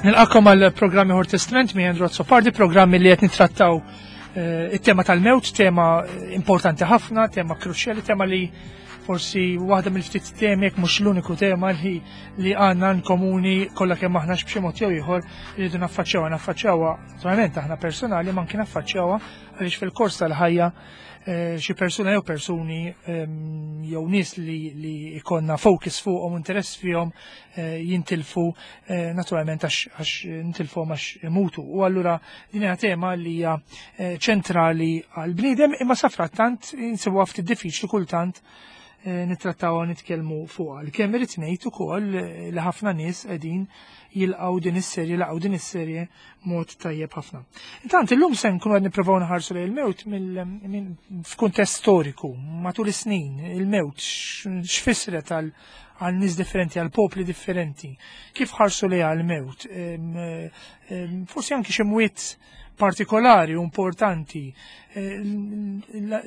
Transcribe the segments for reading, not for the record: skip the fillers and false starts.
Nilqakom għal programmi Ħor Testament mi Andrew Azzopardi, programmi li qed nittrattaw eh, it-tema tal-mewt, tema importanti ħafna, tema kruċjali, tema li forsi waħda mill-ftit temi jekk mhux l-uniku tema li li għandna komuni kollha kemm aħna b'xi mod jew ieħor rridu naffaċċjawha, naffaċċjawha naturalment aħna personali ma anki naffaċċjawha għaliex fil-kors tal-ħajja eh, xi persuna jew persuni ehm, jew nies li, li ikonna focus fuqhom interess fihom eh, jintilfu eh, naturalment għax nintilfuhom għax imutu. U allura din hija tema li hija ċentrali għall-bniedem imma safrattant insibuha ftit diffiċli kultant nittrattaw nitkellmu fuqha. L-kemm irid ngħid ukoll li ħafna nies qegħdin jilqgħu din is-serje, laqgħu din is-serje mod tajjeb ħafna. Intant illum se nkunu qed nippruvaw nħarsu lejn il-mewt f'kuntest storiku, matul is-snin, il-mewt x'fissret għal għal nies differenti, għal popli differenti, kif ħarsu lejha l-mewt, forsi anki xi mwiet partikolari u importanti eh,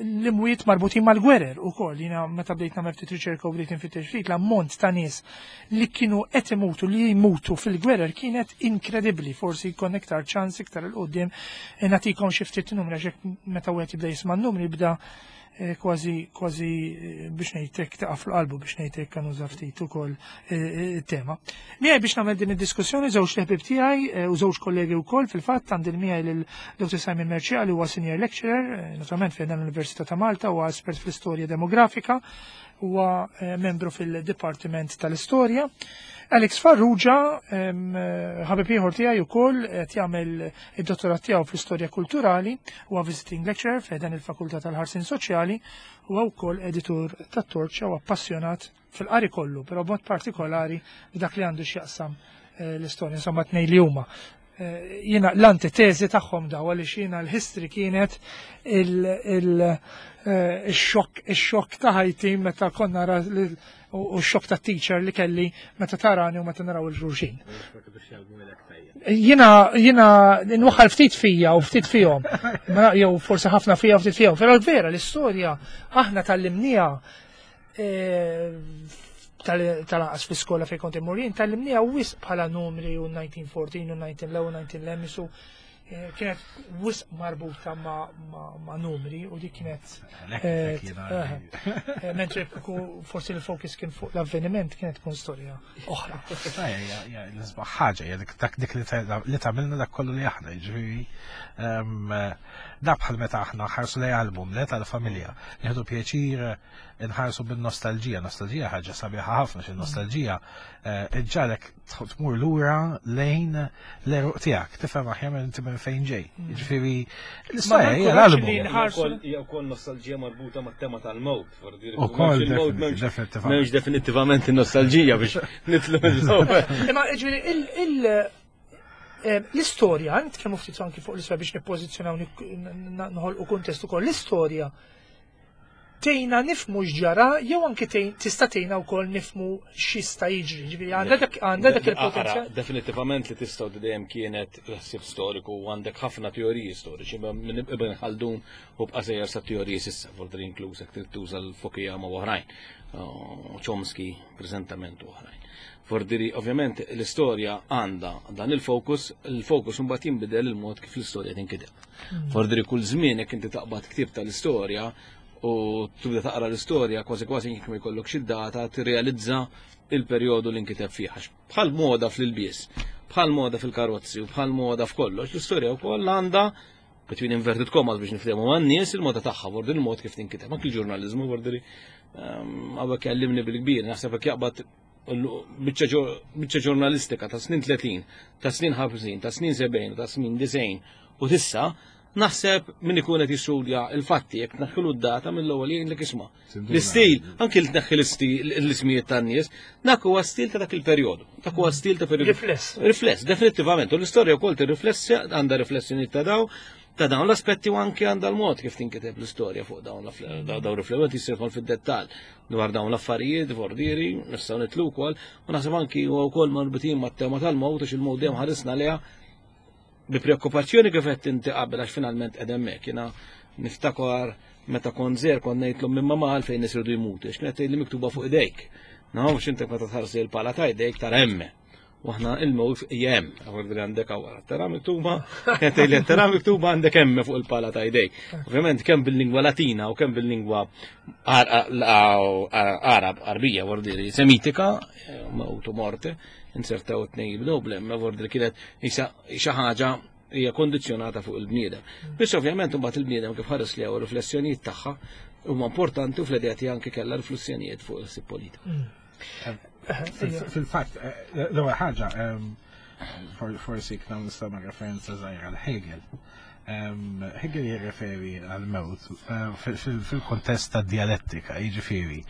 l-imwiet marbutin mal-gwerer u koll, jina meta bdejt namel ftit riċerka u bdejt nfittex ftit l-ammont ta' nies li kienu qed imutu li jmutu fil-gwerer kienet inkredibbli, forsi jkun iktar ċans iktar il-qudiem eh, nagħtikom xi ftit numri għax meta wieħed jibda jisma' n-numri jibda Eh, kważi kważi eh, biex ngħidlek taqa' fil-qalbu biex ngħidlek kan uża ftit ukoll eh, it-tema. Miegħi biex nagħmel din id-diskussjoni żewġ leħbib tiegħi u żewġ kollegi wkoll fil-fatt għandi miegħi lil Dr. Simon Merċia li huwa senior lecturer, naturalment fejn l-Università ta' Malta huwa espert fl-istorja demografika, huwa membru fil-Dipartiment tal-Istorja. Alex Farrugia, ħabib ieħor tiegħi wkoll qed jagħmel id-dottorat tiegħu fl-istorja kulturali, huwa visiting lecturer f'dan il-Fakultà tal-Ħarsin Soċjali, huwa wkoll editur tat-Torċa u appassjonat fil-qari kollu, però b'mod partikolari dak li għandu x'jaqsam eh, l-istorja, insomma tnej li huma. Eh, jiena l-antitezi tagħhom daw għaliex jiena l-history kienet il-xokk eh, ix-xokk ta' ħajti meta konna u x-xokk ta' teacher li kelli meta tarani u meta naraw il-ġurġin. Jiena jiena nwaħħal ftit fija u ftit fihom. Jew forsi ħafna fija u ftit fihom. Però vera l-istorja aħna tal-limnija eh, tal-anqas fl-iskola fejn kont immur jien tallimniha wisq bħala numri u 1914 u 19 l 19 l isu eh, kienet wisq marbuta ma' numri u dik kienet eh, eh, mentri forsi l-fokus kien fuq l-avveniment kienet tkun storja oħra. L-isbaħ ħaġa dak dik li tagħmilna dak kollu li aħna, jiġifieri ehm, da bħal meta aħna ħarsu lej album le tal-familja, nieħdu pjaċir inħarsu bin-nostalġija. Nostalġija ħaġa sabiħa ħafna xi nostalġija eh, iġġalek tmur lura lejn l-eruq tiegħek, tifhem aħjar minn inti minn fejn ġej. Mm. Jiġifieri l-istorja hija l-album. Hija wkoll nostalġija marbuta mat-tema tal-mewt, Ukoll m'hemmx definittivament in-nostalġija biex nitlu Imma jiġifieri il eh, l-istorja, nitkellmu ftit anki fuq l-istorja biex nippożizzjonaw noħolqu kuntest ukoll l-istorja tgħinna nifhmu x'ġara jew anki tista' tgħinna wkoll nifhmu x'jista' jiġri. Ġifieri għandha dak għandha dak il-potenzjal. Definitivament li tistgħu dejjem kienet ħsieb storiku u għandek ħafna teoriji storiċi minn Ibn Khaldun u bqa' sejjer sa teoriji s'issa, forsi inkluż hekk trid tuża l-Fukuyama u oħrajn, Chomsky preżentament u oħrajn. Fordiri, ovvjament, l-istorja għandha dan il-fokus, il-fokus mbagħad jinbidel il-mod kif l-istorja tinkiteb. Hmm. Fordiri kull żmien jekk inti taqbad ktieb tal-istorja u tibda taqra l-istorja kważi kważi jekk ma jkollok xi data tirrealizza il-perjodu li nkiteb fih. Bħal moda fl-ilbies, bħal moda fil-karozzi u bħal moda f'kollox, l-istorja wkoll għandha between inverted commas biex niftehmu man-nies il-moda tagħha, vordi il-mod kif tinkiteb. Anki l-ġurnaliżmu vordi ehm, hawnhekk jgħallimni bil-kbir, naħseb hekk jaqbad biċċa ġurnalistika ta' snin 30, ta' snin 50, ta' snin 70, ta' snin 90 u tissa, naħseb min ikun qed jistudja il-fatti jekk tneħħilu d-data mill-ewwel jgħidlek isma'. L-istil, anki li tneħħi l-istil l-ismijiet tan-nies, dak huwa stil ta' dak il-perjodu. Dak huwa stil ta' perjodu. Rifless. Rifless, definitivament. U l-istorja wkoll tirriflessi għandha riflessjoni ta' daw ta' dawn l-aspetti u anki għandha l-mod kif tinkiteb l-istorja fuq dawn dawn riflewet jisir fid-dettall dwar dawn l-affarijiet, vordieri, nistgħu nitlu wkoll, u naħseb anki huwa wkoll marbutin mat-tema tal-mowt għax il-mowt dejjem ħarisna leha bi preokkupazzjoni kif qed inti qabel għax finalment qed hemmhekk. Jiena niftakar meta kont żgħir kont ngħidlhom minn mamma għalfejn nies iridu jmutu, għax kienet tgħidli miktuba fuq idejk. Nafx inti meta tħarsi l-pala ta' idejk tara hemme. U aħna il-mewt hija hemm, għawar għandek għawar. Tara miktuba, kienet tara miktuba għandek hemm fuq il-pala ta' idejk. Ovvjament kemm bil-lingwa Latina u kemm bil-lingwa Arab, Arbija, vordiri, Semitika, mewt u morte, insertaw it-tnejn jibdew bl-hemm, vordiri kienet xi ħaġa hija kondizzjonata fuq il-bniedem. Biss ovvjament imbagħad il-bniedem kif ħares li hawn riflessjonijiet tagħha huma importanti u fl-idea tiegħi anke kellha riflessjonijiet fuq il-ħsieb politiku. Mm. Fil-fatt, eh, l-ewwel ħaġa, ehm, forsi kna nistgħu referenza żgħira għal Hegel. Ehm, Hegel jirreferi għal-mewt eh, fil-kontest ta' dialettika, jiġifieri.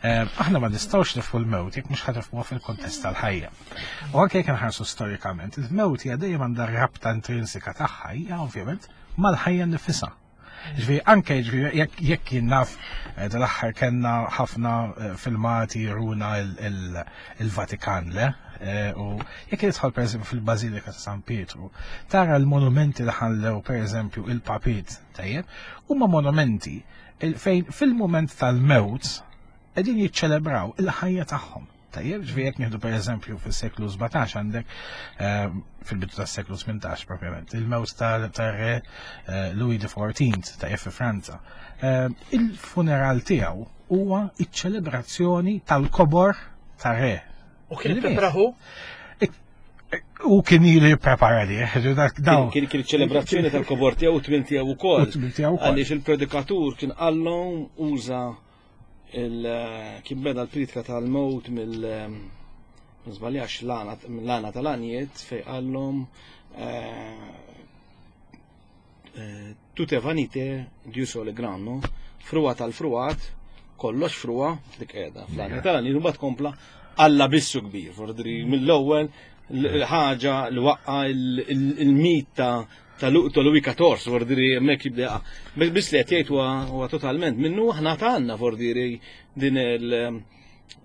Ehm, aħna ma nistgħux nifhu l-mewt jekk mhux ħatifmuha fil-kontest tal-ħajja. U anke jekk nħarsu storikament, il-mewt hija dejjem għandha rabta intrinsika tagħha hija ovvjament mal-ħajja nifisha. Ġifieri anke ġifieri jekk jien naf eh, dal-aħħar kellna ħafna eh, filmati juruna il-Vatikan le eh, u jekk jidħol pereżempju fil-Bażilika ta' San Pietru, tara l-monumenti li ħallew pereżempju il-Papit tajjeb, huma monumenti fejn fil-mument tal-mewt qegħdin jiċċelebraw il-ħajja tagħhom. Tajjeb, ġifieri jekk nieħdu pereżempju fis-seklu 17 għandek eh, fil-bidu tas-seklu 18 propjament, il-mewt tar-re eh, Louis XIV tajjeb fi Franza. Eh, il-funeral tiegħu huwa iċ-ċelebrazzjoni tal-kobor tar-re. U kien ippreparahu? U kien ilu jipprepara li, Kien kien ċelebrazzjoni tal-kobor tiegħu u tmien tiegħu ukoll. Għaliex il-predikatur kien qallhom uża kien beda l-pritka tal-mowt mill żbaljax l-għana tal-għaniet fej qallhom eh, eh, tutte vanite Dieu sole gran, no? Fruwa tal-fruwat, kollox fruwa, dik qiegħda fl-għana tal-għaniet, u mbagħad kompla Alla bissu kbir, fordri mill-ewwel ħaġa li waqqa il-mit ta' ta' Louis XIV, vordiri hemmhekk jibda Biss li qed jgħid huwa totalment minnu aħna għandna vordiri din il-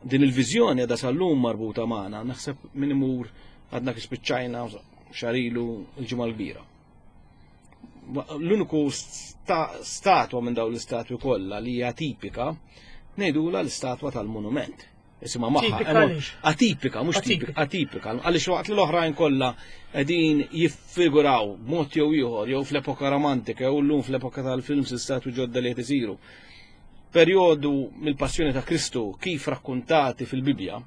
din il-viżjoni għadha sal-lum marbuta magħna, naħseb min imur għadna kif spiċċajna xarilu l-ġimgħa l-kbira. L-uniku statwa minn dawn l-istatwi kollha li hija tipika ngħidula l-istatwa tal-monument. Isimha magħha. Atipika, mhux tipika, atipika. Għaliex waqt li l-oħrajn kollha qegħdin jiffiguraw b'mod jew ieħor jew fl-epoka romantika jew llum fl-epoka tal-films l-istatwi ġodda li qed isiru. Perjodu mill-passjoni ta' Kristu kif rakkuntati fil-Bibbja,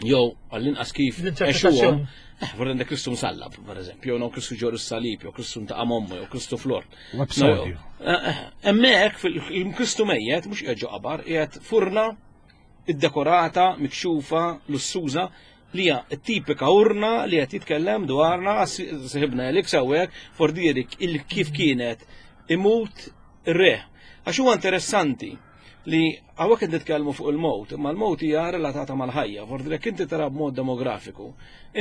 jew għall-inqas kif għexuhom, eh, vorrei għandek Kristu msallab, per eżempju, jew Kristu ġor is-salib, jew Kristu ntaqa' mommu, jew Kristu flor. Eh, eh, hemmhekk fil-Kristu mejjet mhux qiegħed ġo qabar, qiegħed furna iddekorata, mikxufa, lussuża, li hija tipika urna li qed jitkellem dwarna sħibna Elix hawnhekk fordirik il-kif kienet imut ir-re. Għax huwa interessanti li hawnhekk qed nitkellmu fuq il-mowt, imma l-mowt hija relatata mal-ħajja. Fordi jekk inti tara b'mod demografiku,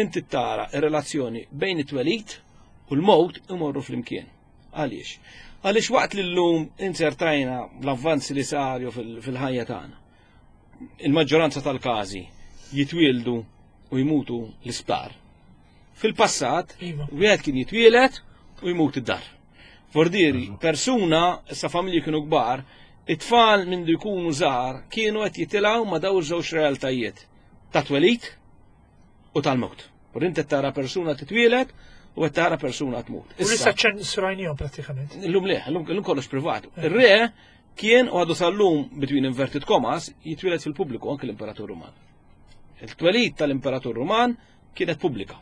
inti tara r-relazzjoni bejn it-twelid u l-mowt imorru flimkien. Għaliex? Għaliex waqt li llum inzertajna l-avvanzi li saru fil-ħajja tagħna. Il-maġġoranza tal-każi jitwieldu u jmutu l-isptar. Fil-passat, iva. wieħed kien jitwielet u jmut id-dar. Vordieri, persuna, issa familji kienu kbar, it-tfal minn jkunu żgħar kienu qed jitilgħu ma' daw żewġ realtajiet ta' twelid u tal-mewt. U inti tara persuna titwielet u qed tara persuna tmut. U issa ċensurajnihom prattikament. Illum le, illum kollox privat. Eh. Ir-re kien u għadu sal-lum between inverted commas jitwielet fil-pubbliku anke l-Imperatur Ruman. Il-twelid tal-Imperatur Ruman kienet pubblika.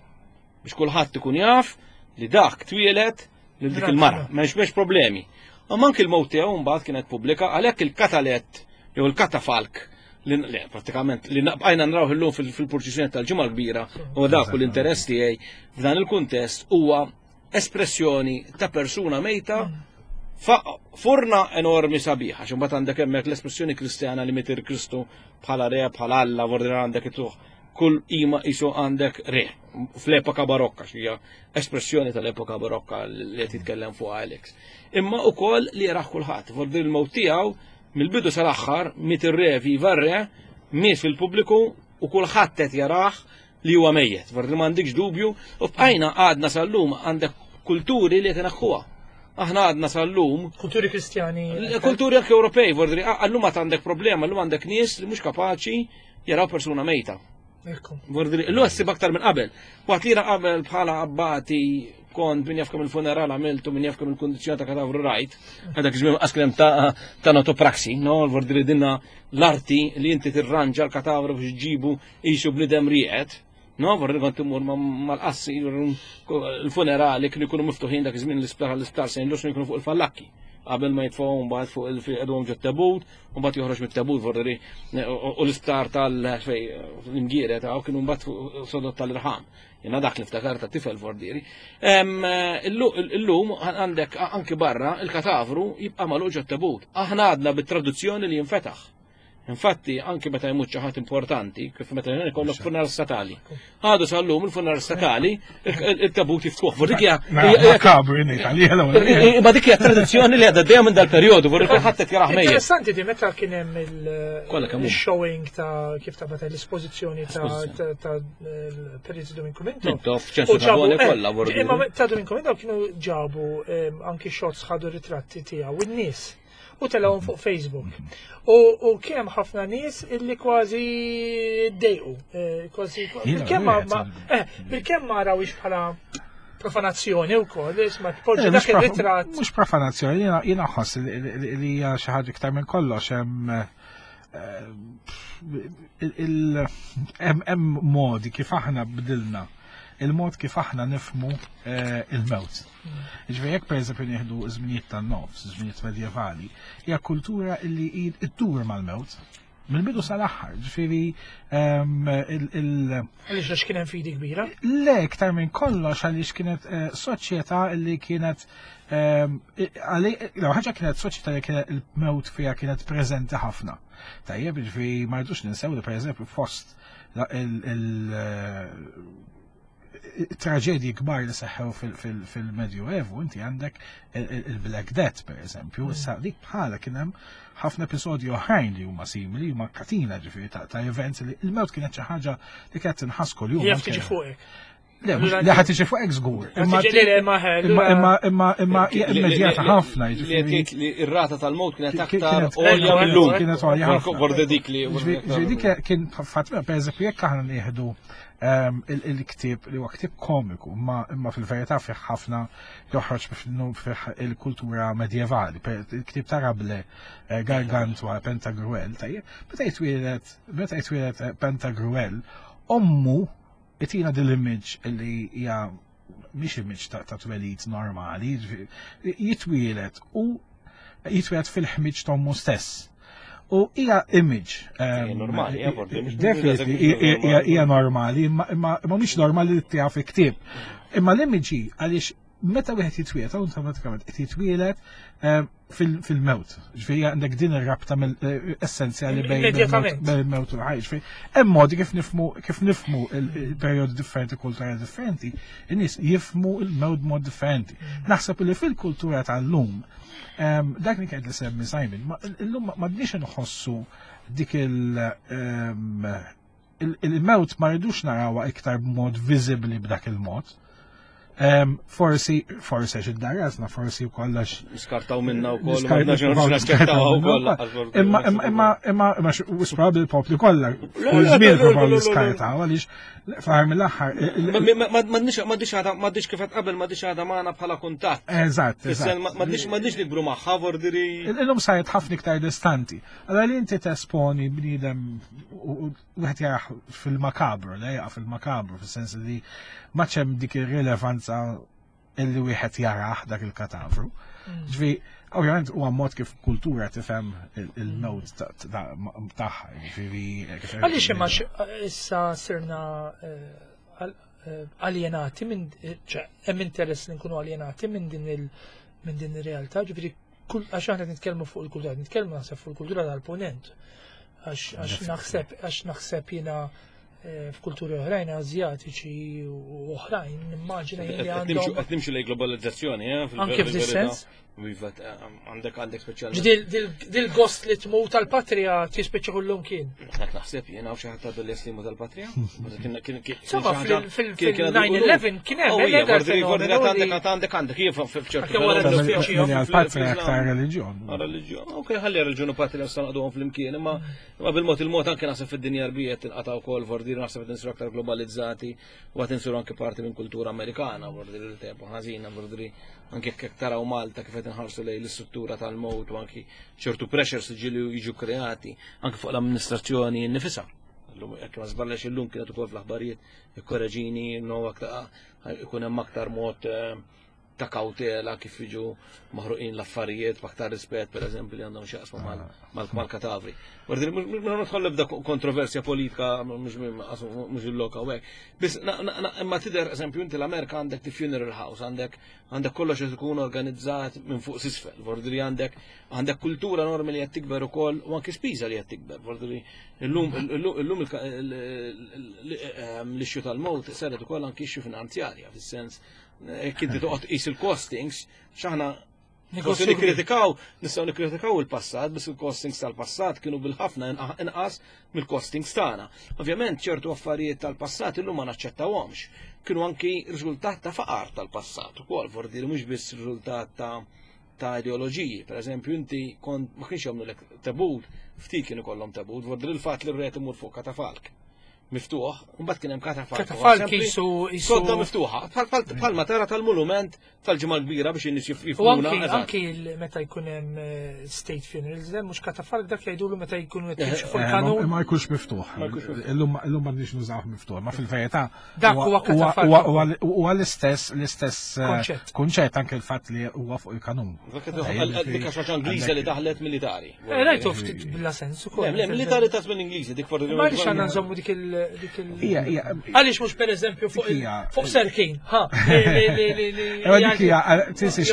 Biex kulħadd ikun jaf li dak twielet lil dik il-mara, m'hemmx problemi. Imma anki l-mewt tiegħu mbagħad kienet pubblika għalhekk il-katalett jew il-katafalk li le, pratikament li bqajna nraw illum fil-purċissjoni tal-ġimgħa l-kbira u dak u l-interess tiegħi f'dan il-kuntest huwa espressjoni ta' persuna mejta furna enormi sabiħa, xi mbagħad għandek hemmhekk l-espressjoni Kristjana li mitir Kristu bħala re, bħala Alla, vordinar għandek ituħ kull ima isu għandek re fl-epoka barokka, xija espressjoni tal-epoka barokka li qed jitkellem fuq Alex. Imma ukoll li jaraħ kulħadd, vordir il-mewt tiegħu mill-bidu sal-aħħar miet ir-re viva r-re, miet fil-pubbliku u kulħadd qed jarah li huwa mejjet. Vordir m'għandikx dubju u bqajna għadna sal-lum għandek kulturi li qed inaħħuha. Aħna għadna sal-lum. Kulturi kristjani. Kulturi anke Ewropej, vordir għallum għad għandek problema, llum għandek nies li mhux kapaċi jaraw persuna mejta. Illum ssib aktar minn qabel. Waqt li qabel bħala abbati kont min jaf kemm il-funeral għamiltu, min jaf kemm il-kundizzjoni ta' katavru rajt, għadak żmien qas kien ta' thanatopraxi, no, vordiri dinna l-arti li inti tirranġa l-katavru biex ġibu qisu bnidem rieqed. No, vorri kont imur mal-qassi, il-funerali kienu jkunu miftuħin dak iż-żmien l-isptar l-isptar St. Lucian jkunu fuq il-fallakki qabel ma jitfgħu mbagħad fuq il-qedhom ġo tabut, u mbagħad joħroġ mit-tabut vorri u l-isptar tal-fej l-imgiere ta' kienu mbagħad fuq sodot tal-irħam. Jiena dak li ftakar ta' tifel vordieri. Illum għandek anki barra il-katavru jibqa' magħluq ġo tabut. Aħna għadna bit-traduzzjoni li jinfetaħ. Infatti, anki meta jmut xi ħadd importanti, kif meta jkollok funeral statali. Għadu sal-lum il-funeral statali, il-tabut jiftħuh. Dik hija Ma dik hija tradizzjoni li għadha dejjem minn dal-perjodu, vorri kulħadd qed jarah mejjet. Interessanti di meta kien hemm il-showing ta' kif ta' meta l-espożizzjoni ta' Periti Dominiku Mintoff. Mintoff, ċensu ta' kollha vorri. Imma ta' Dominiku Mintoff kienu ġabu anki shots ħadu ritratti tiegħu in-nies u telgħuhom fuq Facebook. U kien hemm ħafna nies illi kważi ddejqu, eh, kważi bilkemm ma eh, bilkemm ma rawix bħala profanazzjoni wkoll, isma' tpoġġi eh, dak ir-ritratt. Mhux profanazzjoni, jiena ħoss li hija xi ħaġa iktar minn kollox hemm hemm modi kif aħna bdilna il-mod kif aħna nifmu eh, il-mewt. Ġifieri jekk pereżempju nieħdu żminijiet tan-nofs, żminijiet medjevali, hija kultura li iddur mal-mewt. Mill-bidu sal-aħħar, ġifieri ehm, il- Għaliex għax kien hemm fidi kbira? Le, iktar minn kollox għaliex kienet eh, soċjetà li kienet ehm, ħaġa kienet soċjetà li kienet il-mewt fiha kienet preżenti ħafna. Tajjeb, ġifieri ma rridux ninsew li pereżempju fost il- eh, traġedji kbar li seħħew fil-Medjuevu, inti għandek il-Black Death, per eżempju, mm. issa dik bħala kien hemm ħafna episodji oħrajn li huma simili, huma katina ġifieri ta' events li il-mewt kienet xi ħaġa li kienet tinħass kuljum. Jaf tiġi fuqek. Le, li ħad tiġi fuqek żgur. Imma imma imma imma immedjata ħafna. Li ir-rata tal-mewt kienet aktar għolja mill-lum. Kienet għolja ħafna. Borda dik li. Dik kien fatt, per eżempju, jekk aħna nieħdu Ehm, il-ktieb li huwa ktieb komiku, imma fil-verità fih ħafna joħroġ fih il-kultura medjevali. Il-ktieb ta' Rable, eh, Gargantua, Pentagruel, tajjeb, meta jitwielet, meta jitwielet eh, Pentagruel, ommu itina dil-image li hija mhix image ta' twelid normali, jitwielet u jitwielet fil-ħmiġ t'ommu stess. U hija image. Ehm, normali, definitely hija normali, imma mhix normali li tiegħu fi ktieb. Imma l-image għaliex meta wieħed jitwieled, awtomatikament qed jitwielet ehm, fil-mewt. Ġifieri għandek din ir-rabta eh, essenzjali bejn il-mewt u l-ħajja. Ġifieri hemm modi kif nifmu kif nifmu il-perjodi differenti, kulturali differenti, in-nies jifmu il-mewt mod differenti. Mm. Naħseb li fil-kultura tal-lum Dak li kien li semmi Simon, illum ma bniex nħossu dik il-mewt ma rridux narawha iktar b'mod viżibbli b'dak il-mod. Forsi, forsi għax id-darasna, forsi u kollax. Skartaw minna u koll, skartaw u koll. Imma, imma, imma, imma, imma, probabbli l-popli kollha, kull żmien probabbli skartaw, għaliex Fl-aħħar mill-aħħar. M'għandix għadha m'għandix kif qed qabel m'għandix għadha magħna bħala kuntatt. Eżatt. M'għandix nikbru magħha vordiri. Illum saret ħafna iktar distanti. Allora li inti tesponi bniedem u wieħed jarah fil-makabru, le jaqa' fil-makabru, fis-sens li ma ċem dik ir-rilevanza illi wieħed jarah dak il-katavru. Mm. Ġvi, ovvjament huwa mod kif kultura tifhem il-mewt tagħha, ġifieri. Għaliex imma issa sirna eh, eh, aljenati minn eh, hemm interess li nkunu aljenati minn din il minn din ir-realtà, ġifieri għax aħna nitkellmu fuq il-kultura, nitkellmu naħseb fuq il-kultura tal-ponent. Għax naħseb għax naħseb jiena Eh, f'kulturi oħrajn Azjatiċi u oħrajn, nimmaġina li għandhom. Qed nimxu lejn globalizzazzjoni, eh, Anke f'dis-sens. Iva, għandek għandek speċjalment. Dil-gost li tmut tal-patrija tispiċċa kullum kien. Dak naħseb jien hawn xi ħadd għadu li jaslimu tal-patrija. Insomma, fil-9-11 kien hemm. Għandek għandek għandek jien f'ċertu. Għal-patrija aktar reliġjon. Reliġjon, ok, ħalli reliġjon u patrija nistgħu naqduhom flimkien, imma bil-mod il-mod anke naħseb fid-dinja rbija tinqata' wkoll vordir naħseb qed insiru aktar globalizzati u qed insiru anke parti minn kultura Amerikana, vordir li tempo ħażina, vordir anke jekk taraw Malta kif qed inħarsu lejn l-istruttura tal-mowt u anki ċertu pressures li ġieli jiġu kreati anke fuq l-amministrazzjoni nnifisha. Illum jekk ma żballex illum kienet ukoll fl-aħbarijiet ikkoreġini no aktar ikun hemm aktar mod eh, ta' kawtela kif jiġu maħruqin l-affarijiet b'aktar rispett pereżempju li għandhom x'jaqsmu mal-katavri. Mhux nidħol ebda kontroversja politika mhux il-loka u hekk. Biss imma tidher eżempju inti l-Amerika għandek the funeral house, għandek għandek kollox qed ikun organizzat minn fuq s'isfel, vordri għandek għandek kultura normi li qed tikber ukoll u anki spiża li qed tikber, vordri illum illum l-issue tal-mowt saret ukoll anki issue finanzjarja fis-sens jekk inti toqgħod tqis il-costings, x'aħna Forsi nikkritikaw, nistgħu nikkritikaw il-passat, biss il-costings tal-passat kienu bil-ħafna inqas mill-costings tagħna. Ovvjament ċertu affarijiet tal-passat illum ma naċċettawhomx. Kienu anki riżultat ta' faqar tal-passat ukoll, vordi li mhux biss riżultat ta' ta' ideoloġiji. Per eżempju, inti kont ma kienx jagħmlu tabut, ftit kienu kollhom tabut, vordi l-fatt li r-re imur fuq katafalk. miftuħ, mbagħad kien hemm katafalk. Katafalk jisu sodda miftuħa, bħalma tara tal-monument tal-ġimgħa kbira biex in-nies jifhmuna. U anki meta jkun hemm eh, state funerals, le mhux katafalk dak jgħidulu meta jkunu qed jimxu fuq eh, kanun. Ma jkunx miftuħ. Illum m'għandniex nużawh miftuħ, ma fil-verità dak huwa katafalk. Huwa l-istess l-istess eh, kunċett anke l-fatt li huwa fuq il-kanun. Dik għax Ingliża li daħlet militari. Eh, rajtu ftit bla sens ukoll. Le, militari ta' żmien Ingliżi dik forsi. Ma għaliex għandna nżommu dik il dik il. Għaliex mhux pereżempju fuq fuq Serkin, ha. Dik hija tinsiex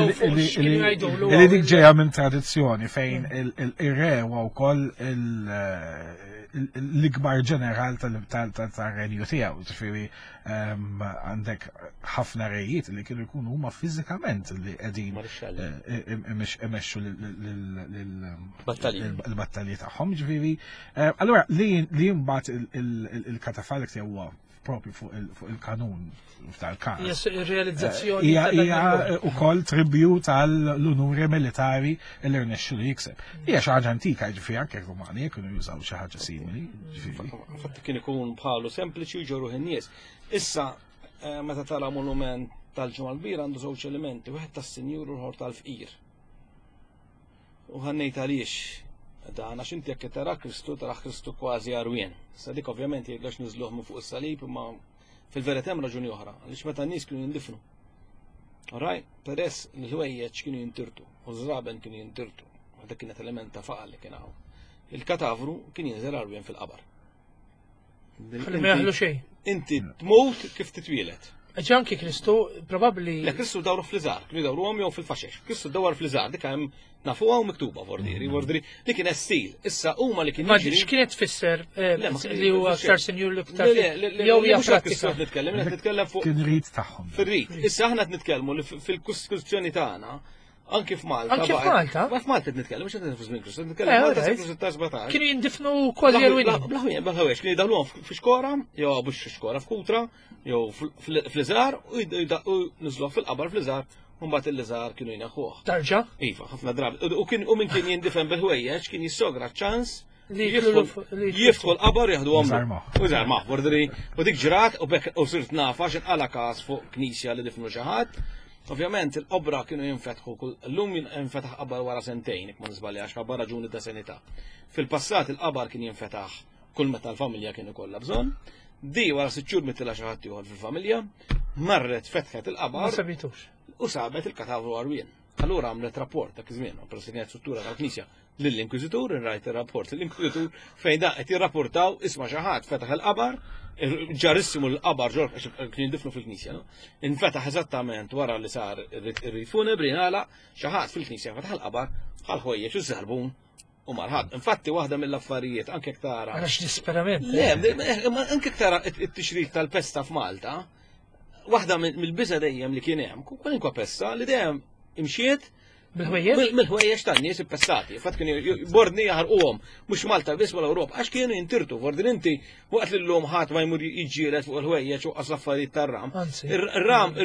li dik ġejja minn tradizzjoni fejn ir-re huwa wkoll l-ikbar ġeneral tal-renju tiegħu, ġifieri għandek ħafna rejiet li kienu jkunu huma fiżikament li qegħdin eh, imexxu l-battalji tagħhom, ġifieri. Eh, allura li mbagħad il-katafalk huwa propju fuq il-kanun f'dal-każ. Realizzazzjoni. Eh, hija wkoll tribju tal-unuri militari li rnexxu li jikseb. Hija xi ħaġa antika, ġifieri anke Rumani kienu jużaw xi ħaġa simili. Fatt kien ikun bħalu sempliċi u ġoruh in-nies. Issa eh, meta tara monument tal-ġimgħa l-kbira għandu żewġ elementi, wieħed tas-sinjur u l-ħor tal-fqir. U ħannejt għaliex dan għax inti jekk tara Kristu tara Kristu kważi għarwien. Sa dik ovvjament jgħidlax niżluh minn fuq is-salib imma fil-verità hemm raġuni oħra għaliex meta n-nies kienu jindifnu. Raj, peress li l-ħwejjeġ kienu jintirtu u ż-żraben kienu jintirtu, dak kienet element ta' faqar li kien hawn. Il-katavru kien jinżel għarwien fil-qabar. Ħalli ma jaħlu xejn. Inti tmut kif titwielet. Ġi anki Kristu probabbli. Le Kristu dawru fl-iżar, kienu dawruhom jew fil-faxex. Kristu dawar fl-iżar, dik hemm nafuha u miktuba vordiri, mm. vordiri li kien stil. Issa huma li kien Ma x'kienet tfisser eh, li huwa aktar sinjur li aktar jew hija pratika. Nitkellem, qed nitkellem fuq kien rit tagħhom. Fir-rit. Issa aħna qed nitkellmu li fil-kustituzzjoni tagħna Anki f'Malta. Anki f'Malta? Ma f'Malta qed nitkellem, mhux qed fuq żmien Kristu, nitkellem eh, Malta seklu 16 Kienu jindifnu kważi erwini. Blaħwien, blaħwiex, kienu jdaħluhom f'xkora, jew mhux f'xkora, f'kutra, jew fl-iżgħar u niżluh fil-qabar fl-iżgħar, u mbagħad il-liżar kienu jneħħuh. Tarġa? Iva, ħafna drabi. U kien u min kien jindifen bil-ħwejjeġ kien jissogra ċans li jiftħu l-qabar jieħdu għomru. U żarmaħ, bordri, u dik ġrat u bekk u sirt nafa x'inqala każ fuq knisja li difnu xi ħadd. Ovvjament il-qobra kienu jinfetħu kull llum jinfetaħ qabar wara sentejn, jekk ma niżbaljax, ħabba raġuni ta' sanità. Fil-passat il-qabar kien jinfetaħ kull meta l-familja kienu kollha bżonn. Di wara sitt xhur mitilha xi ħadd ieħor fil-familja, marret fetħet il-qabar. Ma sabitux. U sabet il-katavru għarwien. Allura għamlet rapport dak iż-żmien, peress li kienet struttura tal-Knisja, lill-Inkwiżitur, rajt ir-rapport lill-Inkwiżitur fejn da qed jirrapportaw isma' xi ħadd fetaħ il-qabar, ġarissimu l-qabar ġor kien jindifnu fil-Knisja, no? Infetaħ eżattament wara li sar ir-rit funebri ngħalaq xi ħadd fil-Knisja fetaħ il-qabar bħal ħwejjeġ u żarbun u marħad. Infatti waħda mill-affarijiet anke tara. Għax disperament. Le, anke tara it-tixrid tal-pesta f'Malta, waħda mill-biża dejjem li kien hemm, kwalinkwa pesta li dejjem imxiet. Bil-ħwejjeġ? Mill-ħwejjeġ tan-nies ippestati. Fatt kienu bordni jaħarquhom, mhux Malta biss mal Ewropa, għax kienu jintirtu, bordni inti waqt li llum ħadd ma jmur jiġġieled fuq il-ħwejjeġ u qas l-affarijiet tar-ram. Ir-ram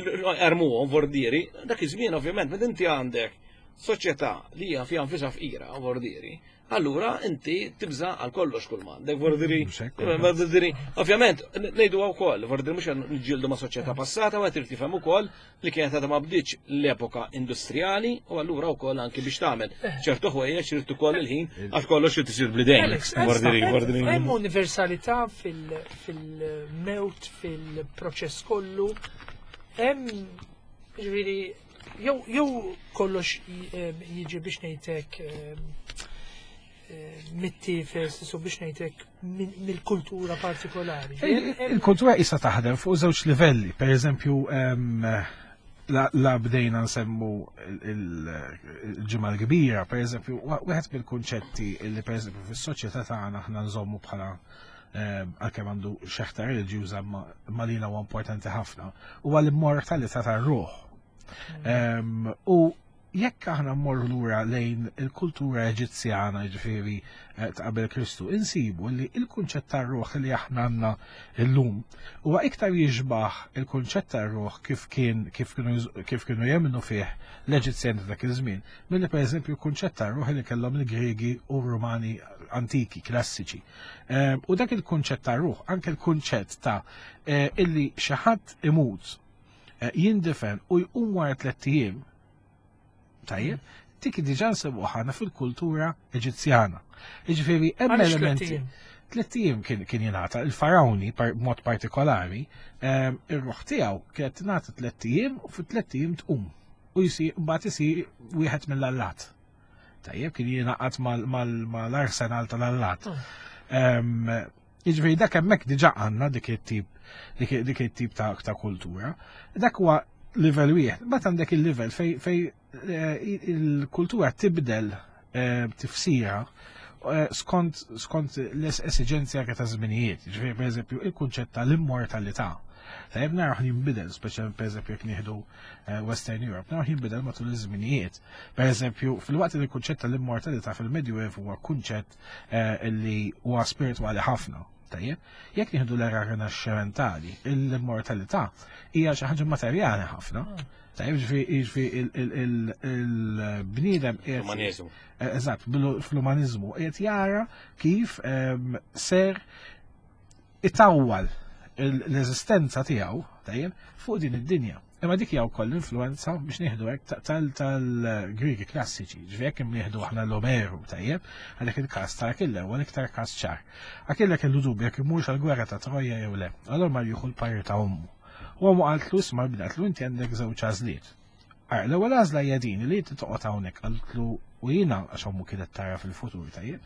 armuhom vordieri, dak iż-żmien ovvjament meta inti għandek soċjetà li hija fiha nfisha fqira vordieri, allura inti tibża għal kollox kull m'għandek, vordiri, vordiri, ovvjament, ngħidu wkoll, vordiri mhux niġġieldu ma' soċjetà passata, ma trid tifhem ukoll li kienet għadha ma bdietx l-epoka industrijali u allura wkoll anki biex tagħmel eh. ċertu ħwejjeġ irid ukoll il-ħin għax kollox irid isir blidejn. Hemm universalità fil-mewt, fil-proċess kollu, hemm ġifieri jew kollox jiġi biex ngħidlek mittifes, su biex ngħidlek mill-kultura partikolari. Il-kultura issa taħdem fuq żewġ livelli, per eżempju, la bdejna nsemmu il-ġimgħa l-kbira, per eżempju, wieħed mill-kunċetti li per eżempju fis-soċjetà tagħna aħna nżommu bħala għalkemm għandu xeħta reliġjuża ma lina huwa importanti ħafna, huwa l-immortalità tar-ruħ. U Jekk aħna mmorru lura lejn il-kultura Eġizzjana, jiġifieri eh, ta' qabel Kristu, insibu li il-kunċett tar-ruħ li aħna għandna llum huwa iktar jixbaħ il-kunċett tar-ruħ kif kien kif kienu kif kienu jemmnu fih l-Eġizzjani ta' dak iż-żmien, milli pereżempju l-kunċett tar-ruħ li kellhom il-Griegi u r-Rumani antiki, klassiċi. Eh, u dak il-kunċett tar-ruħ, anke l-kunċett ta' eh, illi xi ħadd imut jindifen u jqum wara tlett ijiem, tajjeb, dik diġà nsibuha ħana fil-kultura Eġizzjana. Jiġifieri hemm elementi. Tlett ijiem kien kien jingħata il-farawni b'mod partikolari, ehm, ir-ruħ tiegħu kienet tingħata tlett ijiem u fit-tlett ijiem tqum u jsir mbagħad isir wieħed mill-allat. Tajjeb kien jingħaqad mal-arsenal tal-allat. Oh. Ehm, jiġifieri dak hemmhekk diġà għandna dik it-tip dik it-tip ta' kultura. Dak huwa livell wieħed. Mbagħad għandek il-livell fej fej eh, il-kultura tibdel eh, tifsira eh, skont skont l-esiġenzi anke ta' żminijiet. Ġifieri pereżempju il-kunċett tal-immortalità. Tajjeb naraw jinbidel, speċjalment pereżempju jekk nieħdu Western Europe, naraw jinbidel matul iż-żminijiet. Pereżempju, fil-waqt li l-kunċett tal-immortalità fil-Medjuevu huwa kunċett li huwa spiritwali ħafna. Tajjeb, jekk nieħdu l-era rinaxximentali, l-immortalità hija xi ħaġa materjali ħafna. Tajjeb, ġifi il-bniedem Umaniżmu. Eh, eżatt, fl-umaniżmu qiegħed jara kif ehm, ser itawwal l-eżistenza tiegħu, tajjeb, fuq din id-dinja. Imma dik hija wkoll l-influenza biex nieħdu hekk tal-Griegi klassiċi, ġifieri jekk nieħdu aħna l-Omeru tajjeb, għalhekk il-każ ta' Akille huwa l-iktar każ ċar. Akille kellu dubju jekk imurx għall-gwerra ta' Troja jew le, allura mar jieħu l-parir ta' ommu. U ommu qaltlu isma' bnatlu inti għandek żewġ għażliet. Ara, l-ewwel għażla hija din li inti toqgħod hawnhekk qaltlu u jiena għax ommu kienet tara fil-futur tajjeb,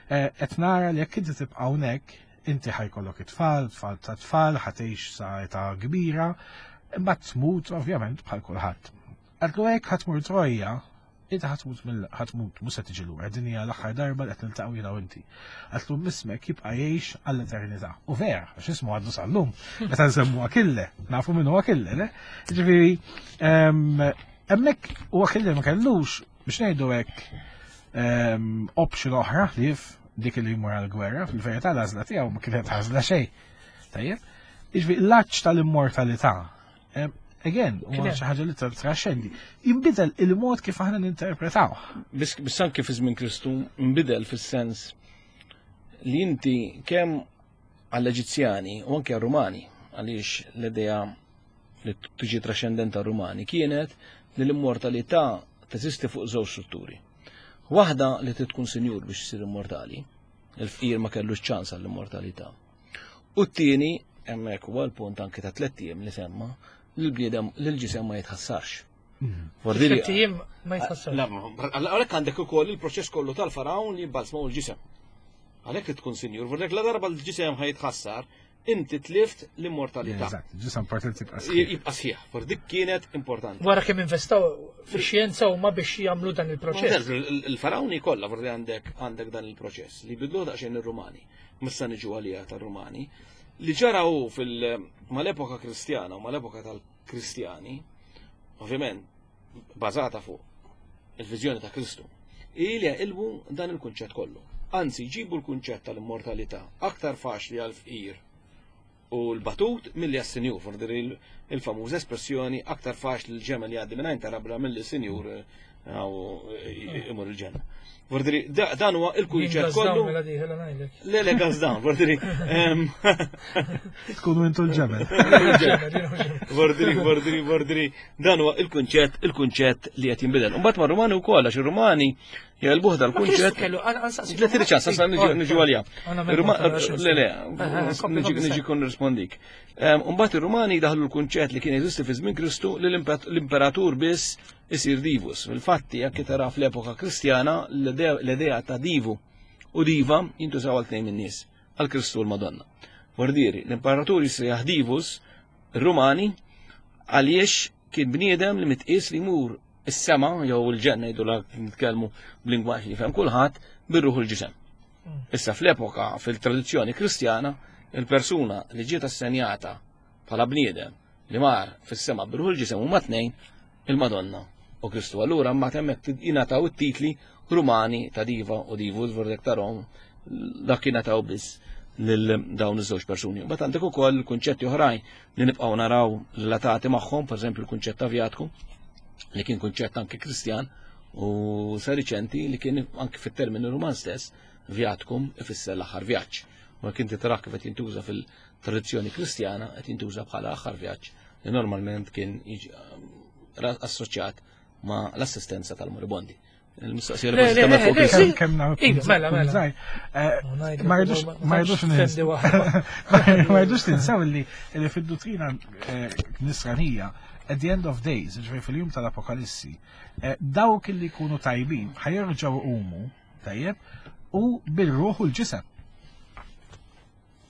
eh, qed nara li jekk inti tibqa' hawnhekk Inti ħajkollok it-tfal, tfal ta' tfal, ħatejx sa' età kbira, imbagħad tmut ovvjament bħal kulħadd. Għadlu hekk ħatmur Trojja, inti ħatmut mill ħatmut mhux se tiġi lura, din hija l-aħħar darba li qed niltaqgħu jiena u inti. Għatlu mismek jibqa' jgħix għall-eternità. U vera, għax ismu għaddu sal-lum, meta nsemmu Akille, nafu min hu Akille, le? Ġifieri, ehm, hemmhekk u Akille ma kellux biex ngħidu hekk ehm, option oħra li dik li jmur għal-gwerra, fil-verità l-għażla tiegħu ma kienet għażla xejn. Tajjeb? Jiġifieri l-aċċ tal-immortalità. Ehm, again, huwa xi ħaġa li traxxendi. Jinbidel il-mod kif aħna ninterpretaw. Biss anke fi żmien Kristu nbidel fis-sens li inti kemm għall-Eġizzjani u anke għar-Rumani għaliex l-idea li tiġi traxxendenta Rumani kienet li l-immortalità teżisti fuq żewġ strutturi. Waħda li trid tkun sinjur biex issir immortali, il-fqir ma kellux ċans għall-immortalità. U t-tieni, hemmhekk huwa l-punt anke ta' tlett ijiem li semma, li l-bniedem li l-ġisem ma jitħassarx. Tliet ijiem ma jitħassarx. Għalhekk għandek ukoll il-proċess kollu tal-farawn li jibbalsmaw il-ġisem. Għalhekk li tkun sinjur, għalhekk la darba l-ġisem ħajtħassar, inti tlift l-immortalità. Eżatt, ġisem importanti jibqa' sħiħ. Jibqa' sħiħ, for dik kienet importanti. Wara kemm investaw fix-xjenza huma biex jagħmlu dan il-proċess. Il-farawni kollha forsi għandek għandek dan il-proċess li bidlu daqsxejn ir-Rumani. Missa niġu għalija tar-Rumani. Li ġara hu fil mal-epoka Kristjana u mal-epoka tal-Kristjani, ovvjament bażata fuq il-viżjoni ta' Kristu, hi li jaqilbu dan il-kunċett kollu. Anzi, jġibu l-kunċett tal-immortalità aktar faċli għall-fqir u l-batut milli għas-sinjur, forsi il-famuża espressjoni aktar faċli l-ġemel jgħaddi minn għajn ta' rabla milli sinjur eh, imur il-ġenna. Vordiri, dan huwa il-kunċett kollu. Mela dieħel ngħidlek. Le, le, gas down, vordiri. Tkunu intu l-ġemel. Vordiri, vordiri, vordiri. Dan huwa il-kunċett, il-kunċett li qed jinbidel. Imbagħad mar-Rumani wkoll għax ir-Rumani jgħalbuh dal-kunċett. Le tiri ċans, sa niġu għalija. Le, le, niġi kun rispondik. Imbagħad ir-Rumani daħlu l-kunċett li kien jeżisti fi żmien Kristu li l-imperatur biss isir divus. Fil-fatti, jekk tara fl-epoka Kristjana, l-idea ta' divu u diva jintużaw għal tnejn min-nies, għal Kristu u l-Madonna. Vordieri, l-imperatur jissejjaħ divus Rumani għaliex kien bniedem li mitqies li jmur is-sema jew il-ġenna jgħidu la nitkellmu b'lingwaġġ li jifhem kulħadd bir-ruħ il-ġisem. Issa fl-epoka fil-tradizzjoni Kristjana, il-persuna li ġiet assenjata bħala bniedem li mar fis-sema bir-ruħ il-ġisem huma tnejn il-Madonna u Kristu. Allura mbagħad hemmhekk jingħataw it-titli Rumani ta' diva u divus vordek ta' Rom dak jingħataw biss lil dawn iż-żewġ persuni. Mbagħad għandek ukoll kunċetti oħrajn li nibqgħu naraw relatati magħhom, pereżempju l-kunċett ta' vjatku li kien kunċett anke Kristjan u sa riċenti li kien anke fit-termini Ruman stess vjatkum ifisser l-aħħar vjaġġ. U kien titrak kif qed jintuża fil-tradizzjoni Kristjana qed jintuża bħala aħħar vjaġġ li normalment kien jiġi eh, assoċjat ma' l-assistenza tal-moribondi. Il-mistoqsija li forsi tagħmel fuq Kemm kemm nagħmel Iva, mela, mela. Eh, ma rridux ma rridux ma rridux tinsew li li fid-duttrina eh, nisranija at the end of days, ġifieri fil-jum tal-Apokalissi, dawk li jkunu tajbin ħajerġgħu umu, tajjeb, u bil-ruħ u l-ġisem.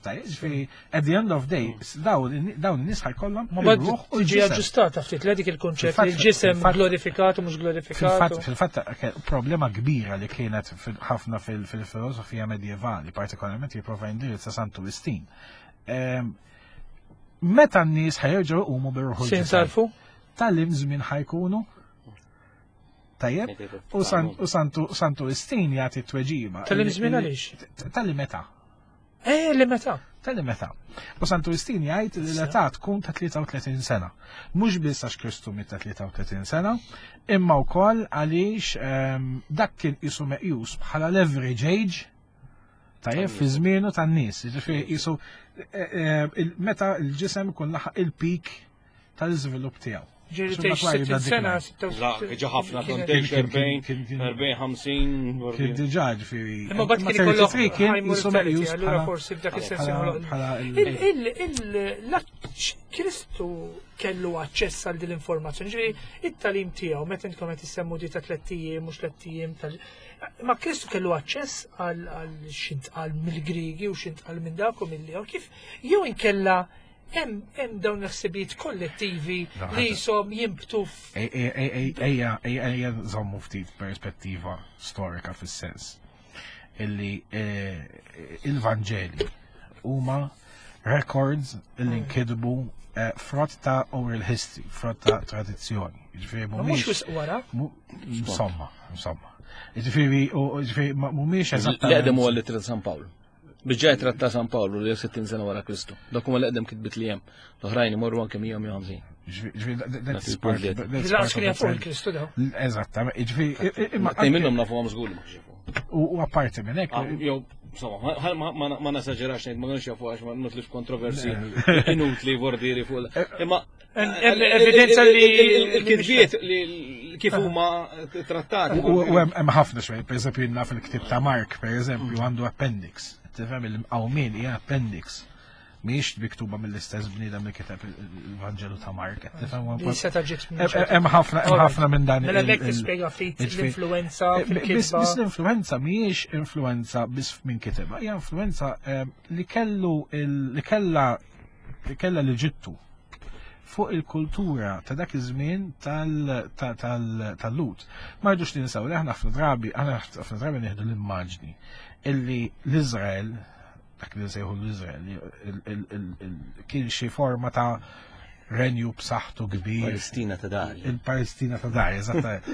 Tajjeb, ġifieri at the end of day, dawn in-nies ħajkollhom Ma bad tiġi aġġustata ftit le dik il-kunċett li l-ġisem glorifikat u mhux glorifikat. Fil-fatt problema kbira li kienet ħafna fil-filosofija medjevali, partikolarment jipprova jindirizza Santu Wistin. Ehm, meta n-nies ħajerġgħu jqumu bir-ruħu. Sin sarfu? Tal-im żmien ħajkunu Tajjeb, u Santu Wistin jagħti tweġiba. Tal-im żmien għaliex? Tal-im meta. Eh, li meta. Tal-li meta. U Santu Wistin jgħid li l-età tkun ta' 33 sena. Mhux biss għax Kristu miet ta' 33 sena, imma wkoll għaliex ehm, dak kien qisu meqjus bħala l-average age tajjeb fi żmienu tan-nies. Ġifieri qisu eh, eh, meta l-ġisem ikun laħaq il-peak tal-iżvilupp tiegħu. Ġiri tgħix 60 sena, La, ġa ħafna kont tgħix 40, 40, 50. Kien diġà ġifieri. Imma bad kien ikollok high mortality, allura forsi f'dak is-sens Kristu kellu aċċess għal din l-informazzjoni, ġifieri it-talim tiegħu meta intkom qed issemmu di ta' tlett ijiem mhux tlett ijiem tal Ma Kristu kellu aċċess għal x'intqal mill-Griegi u x'intqal minn dak u mill kif jew inkella Hemm dawn il-ħsibijiet kollettivi li jisom jimbtu Ejja, ejja, żommu ftit perspettiva storika fis-sens illi eh, il-Vanġeli huma records illi mm. nkidbu eh, frott ta' oral history, frott ta' tradizzjoni. Ġifieri mhumiex wisq wara. Insomma, insomma. Ġifieri, ġifieri mhumiex eżattament. L-eqdem huwa l-ittra San Pawl. Biġġa jitrat ta' San Pawlu li 60 sena wara Kristu. Dak huma l-eqdem kitbit li hemm. L-oħrajn imorru anke 150. Kristu daw. Eżattament. Ġifieri imma tnejn minnhom nafu għam żgur li ma jafu. U apparti minn hekk. Ah, jew insomma, ma nasaġerax ngħid ma nux jafu għax ma nutlix kontroversi inutli vordiri fuq. Eh, imma Evidenza li il-kitbiet li kif huma trattati. U hemm ħafna xejn, pereżempju naf il-ktib ta' Mark, pereżempju għandu appendix. Tifhem il-qawmien hija appendix. Mhijiex miktuba mill-istess bniedem li kiteb il-Vanġelu ta' Mark. Hemm ħafna hemm ħafna minn dan. Mela mek tispjega ftit l-influenza Biss l-influenza mhijiex influenza biss minn kitibha, hija influenza eh, li kellu li kellha li kellha l-Eġittu fuq il-kultura ta' dak iż-żmien tal-Lut. Ma rridux ninsew li aħna ħafna drabi, aħna ħafna drabi nieħdu l-immaġni illi l-Iżrael, dak li nsejħu l-Iżrael, kien xi forma ta' renju b'saħħtu kbir. Palestina ta' dar. Il-Palestina ta' dar, eżatt.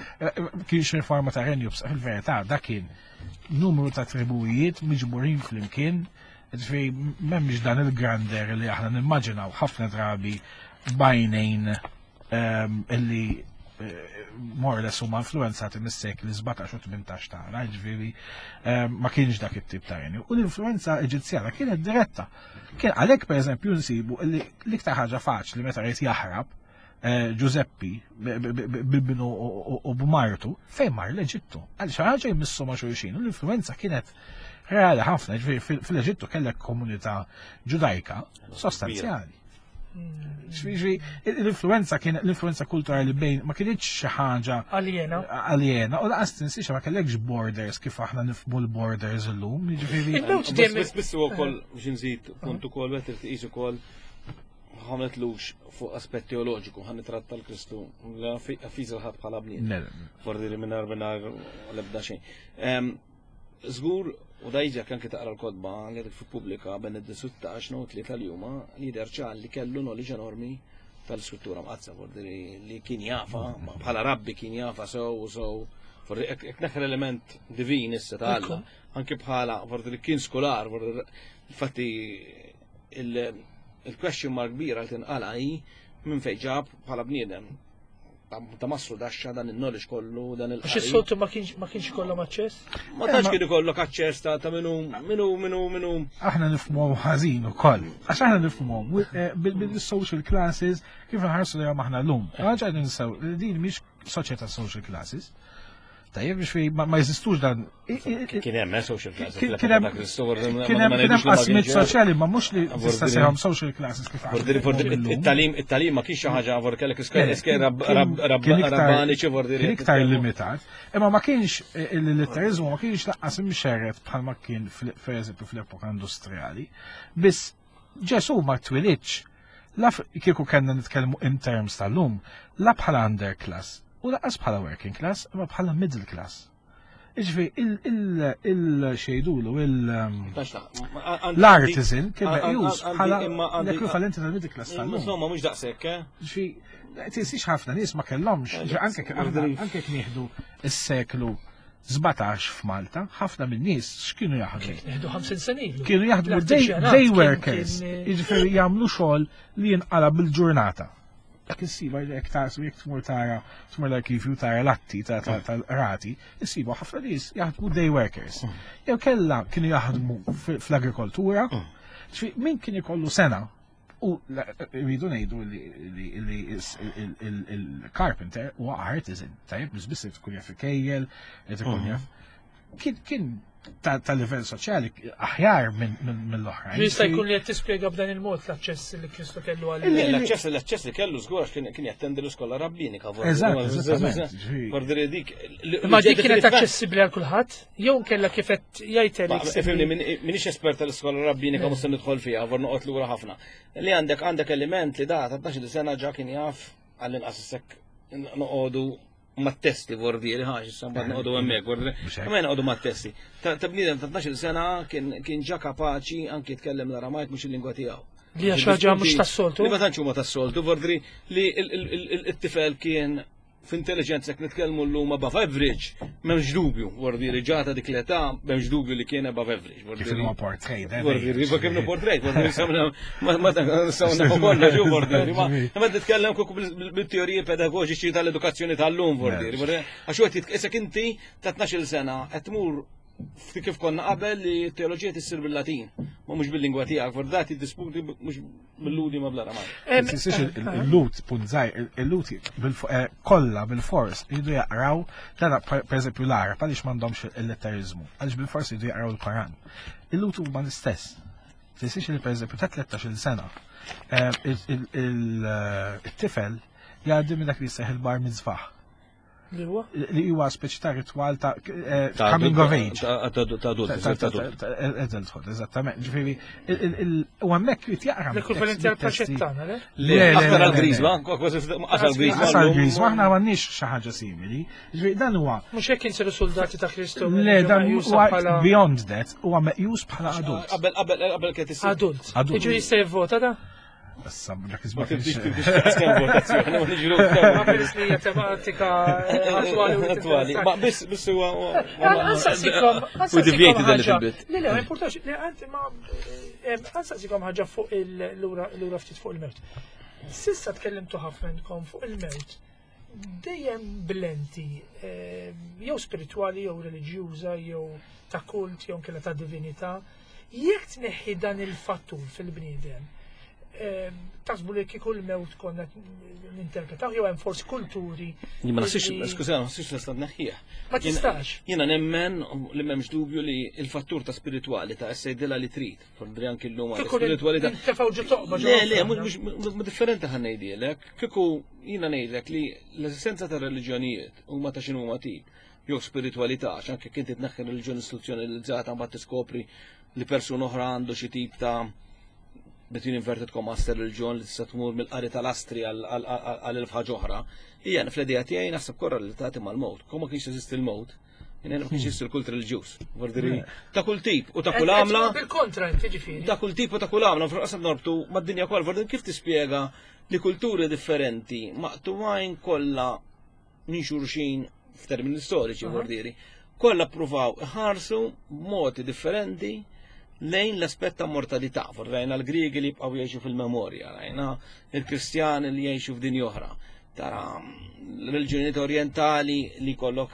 Kienx il-forma ta' renju b'saħħtu, fil-verità dak kien numru ta' tribujiet miġburin flimkien, ġifieri m'hemmx dan il-grander li aħna nimmaġinaw ħafna drabi bajnejn ehm, illi eh, more or less huma influenzati mis-sekli 17 u 18 tagħna, ġifieri ehm, ma kienx dak it-tip ta' renju. U l-influenza Eġizzjana kienet diretta. Kien għalhekk pereżempju nsibu li l-iktar ħaġa faċli meta rrid jaħrab eh, Giuseppi bibnu u b'martu fejn mar l-Eġittu. Għal xi ħaġa jmissu ma' xulxin u l-influenza kienet reali ħafna, ġifieri fil-Eġittu kellek komunità ġudajka sostanzjali. Ġifieri l-influenza kien l-influenza kulturali bejn ma kienx xi ħaġa aljena. Aljena, u laqas tinsiex ma kellekx borders kif aħna nifhmu l-borders illum, jiġifieri. Biss biss ukoll biex nżid punt ukoll qed tqis ukoll ħametlux fuq aspett teoloġiku ħan nitratta l-Kristu la fiż ħadd bħala bniedem. Fordi li mingħajr mingħajr l-ebda xejn. Żgur, u da jiġi anke taqra l-kotba li għadek fi pubblika Benedittu 16 no tlieta li huma li jidher ċar li kellu knowledge enormi tal-iskrittura mqaddsa, fordi li kien jafa, bħala rabbi kien jafa sew u sew. Fordi hekk neħħel element divin issa ta' Alla, anke bħala fordi li kien skolar, fordi infatti il-question mark kbira li tinqala hi minn fejn ġab bħala bniedem ta' mastru daxxa dan il-knowledge kollu, dan il Għax is-soltu ma kienx ma kienx ikollhom aċċess? Ma tantx kien ikollok aċċess ta' minnu minnu minnu minnu. Aħna nifhmuhom ħażin ukoll. Għax aħna nifhmuhom eh, bil-social classes kif nħarsu lejhom aħna llum. Għax qed ninsew li din mhix soċjetà social classes. Tajjeb biex fi ma jeżistux dan. Kien hemm eh, social classes. Kien hemm kien hemm qasmiet soċjali ma mhux li tista' sejhom social classes kif It-talim it-talim ma kienx xi ħaġa vor kellek iskejjel rabbaniċi vor Kien iktar limitat, imma ma kienx eh, il-litterizmu ma kienx laqqas imxerret bħalma kien pereżempju fl-epoka industrijali. Biss Ġesu ma twilidx la kieku kellna nitkellmu in terms tal-lum, la bħala underclass u laqas bħala working class, imma bħala middle class. Iġvi, il-xejdulu, l-artisan kien meqjus bħala l-ekwivalenti tal-middle class tal-lum. Insomma, mhux daqshekk, eh? Ġifi, tinsiex ħafna nies ma kellhomx, anke anke nieħdu s-seklu 17 f'Malta, ħafna minn nies x'kienu jaħdmu? Nieħdu 50 sena ilu. Kienu jaħdmu day workers, jiġifieri jagħmlu xogħol li jinqala bil-ġurnata. Jekk issiba jekk tarsu jekk tmur tara tmur l-arkivju tara l-atti tal-qrati, issibu ħafna nies jaħdmu day workers. Mm. Jew kellha kienu jaħdmu fl-agrikoltura, mm. min kien ikollu sena U rridu ngħidu li il-carpenter huwa artisan, tajjeb mhux biss tkun jaf ikejjel, ikun mhm. jaf. Kien ta' livell soċjali aħjar mill-oħrajn. Jista' jkun li qed tispjega b'dan il-mod l-aċċess li Kristu kellu għal. L-aċċess l-aċċess li kellu żgur għax kien jattendi l-iskola rabbinika. Eżatt, dik. Ma dik kienet aċċessibbli għal kulħadd? Jew kella kif qed jgħid Eric. Ifhimni minix espert tal-iskola rabbinika mhux se nidħol fiha, vor noqgħod lura ħafna. Li għandek għandek element li da ta' 12 sena ġa kien jaf għall-inqas issek noqogħdu mat-testi vordieri ħax issa mbagħad noqogħdu hemmhekk vordieri. Ma noqogħdu mat-testi. Ta' bniedem ta' 12 sena kien ġa kapaċi anki jitkellem l-Aramajk mhux il-lingwa tiegħu. Li għax ħaġa mhux tas-soltu. Li ma tantx huma tas-soltu, vordri li t-tifel kien F'intelliġenza jekk nitkellmu llum above average, m'hemmx dubju, vordi li ġata dik l-età, m'hemmx dubju li kien above average. Kif huwa portrait, eh? Vordi li kif inhu portrait, vordi li ma sawna kollox ġu vordi ma ma titkellem kuk bil-teoriji pedagoġiċi tal-edukazzjoni tal-lum vordi. Għax qed jitqisek inti ta' 12-il sena qed tmur kif konna qabel li t-teoloġija tissir bil-Latin, ma mhux bil-lingwa tiegħek, vordati disputi mhux bil-Ludi ma bl-Aramajk. Tinsiex il-Lut, punt żgħir, il-Lut eh, kollha bil-fors jridu jaqraw, dana pereżempju l-Arab għaliex m'għandhomx il-letterizmu, għaliex bil-fors jridu jaqraw il-Koran. Il-Lut huma l-istess. Tinsiex li pereżempju ta' 13-il sena eh, il-tifel jgħaddi minn dak li jseħ il-bar mitzvah. Li huwa? Li huwa speċi ta' ritwal ta' eh, coming of age. Ta' adult. Adulthood, eżattament. Ġifieri, u hemmhekk jrid jaqra. L-ekwivalenti għal paċettana, le? Le, aktar għal grizma, kważi għal grizma. Għal grizma, aħna m'għandniex xi ħaġa simili. Ġifieri dan huwa. Mhux hekk insiru soldati ta' Kristu. Le, dan huwa beyond that, huwa meqjus bħala adult. Qabel qabel qabel kien Adult. Ġifieri jista' jivvota da? Issa, dak Ma tibdix tibdix kemm votazzjoni, ma niġru. Ma peress li hija tematika attwali u Attwali. Ma biss biss huwa. Għansaqsikom. We deviated a little bit. Le, le, ma importax, le, għant ma għansaqsikom ħaġa fuq il-lura ftit fuq il-mewt. Sissa tkellimtu ħafna intkom fuq il-mewt. Dejjem b'lenti jew spiritwali jew reliġjuża jew ta' kult jew kella ta' divinità. Jekk tneħħi dan il-fattur fil-bniedem, taħsbu li kieku l-mewt konna ninterpretaw jew hemm forsi kulturi. Jien ma naħsibx, skuża, ma naħsibx nista' tneħħih. Ma tistax. Jiena nemmen li m'hemmx dubju li l-fattur ta' spiritwali ta' essajdilha li trid, fordri anki llum għal spiritwalità. Tefgħu ġo toqba ġo. Le, le, mhux differenti ħa ngħidilek. Kieku jiena ngħidlek li l-eżistenza ta' reliġjonijiet huma ta' x'inhuma tip jew spiritwalità, għax anke kien titneħħi reliġjoni istituzzjonalizzata mbagħad tiskopri li persuna oħra għandu xi tip ta' between inverted commas reliġjon li tista' tmur mill-qari tal-astri għal elf ħaġa oħra. Hija fl-idea tiegħi naħseb korrelatati mal-mewt. Kemm ma kienx jeżisti l-mewt, jiena ma kienx jeżisti l-kult reliġjuż. Vordiri ta' kull tip u ta' kull għamla. Bil-kontra inti ġifieri. Ta' kull tip u ta' kull għamla, fil-qasam norbtu mad-dinja kollha, vordiri kif tispjega li kulturi differenti maqtuwajn kollha minn xulxin f'termini storiċi vordieri, kollha ppruvaw iħarsu b'modi differenti lejn l-aspett ta' mortalità. Rajna l-Griegi li jibqgħu jgħixu fil-memorja, rajna l-Kristjani li jgħixu f'dinja oħra. Tara l-reliġjonijiet orientali li kollok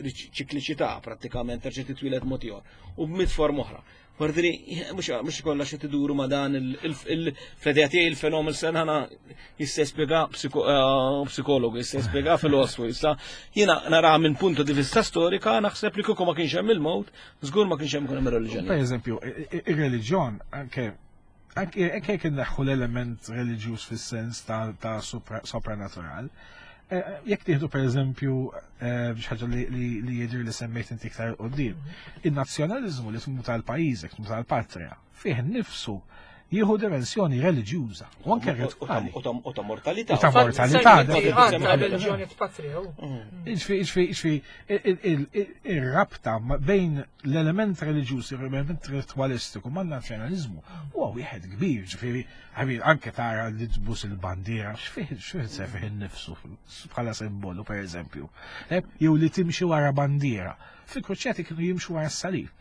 ċikliċità prattikament terġa' titwieled mod ieħor u b'mit forma oħra. Vordiri, mhux kollha xi tiduru ma' dan il-fl-idea tiegħi il-fenomen sena jista' jispjega psikologu, jista' jispjega filosofu, jista' jiena nara minn punto di vista storika naħseb li kieku ma kienx hemm il-mewt, żgur ma kienx hemm ikun hemm ir-reliġjoni. Per eżempju, ir-reliġjon anke anke jekk inneħħu l-element reliġjuż fis-sens ta' sopranatural, jekk tieħdu per eżempju xi ħaġa li jidher li semmejt inti iktar quddiem, in-nazzjonaliżmu li tmut għal pajjiżek, tmut għal patrija, fih innifsu jieħu dimensjoni reliġjuża u anke ritwali. U ta' mortalità. U ta' mortalità. Reliġjoni patrija. Ġifieri, ir-rabta bejn l-element reliġjuż, l-element ritwalistiku man-nazzjonaliżmu huwa wieħed kbir, ġifieri, ħabib, anke tara li tbus il-bandiera, x'fih x'fih se fih innifsu bħala simbolu pereżempju. Jew li timxi wara bandiera. Fil-kruċjati kienu jimxu wara s-salib.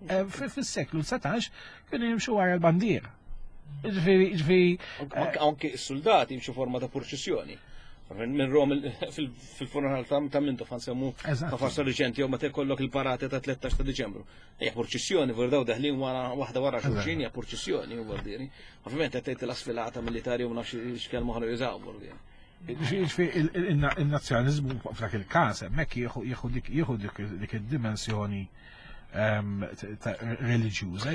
Fis-seklu 19 kienu jimxu wara l-bandiera. Ġifieri, ġifieri. Anke s-soldati jimxu forma ta' purċissjoni. Minn Rom fil-funeral ta' Mintoff ħansemmu ta' farsa riċenti jew meta jkollok il-parati ta' 13 ta' Diċembru. Hija purċissjoni, vor daw deħlin wara waħda wara xulxin hija purċissjoni vuol dire. Ovvjament qed tgħid l-asfilata militari u ma nafx x'kelma oħra jużaw vuol dire. Ġifieri il-nazzjonaliżmu f'dak il-każ hemmhekk jieħu dik jieħu dik id-dimensjoni reliġjuża.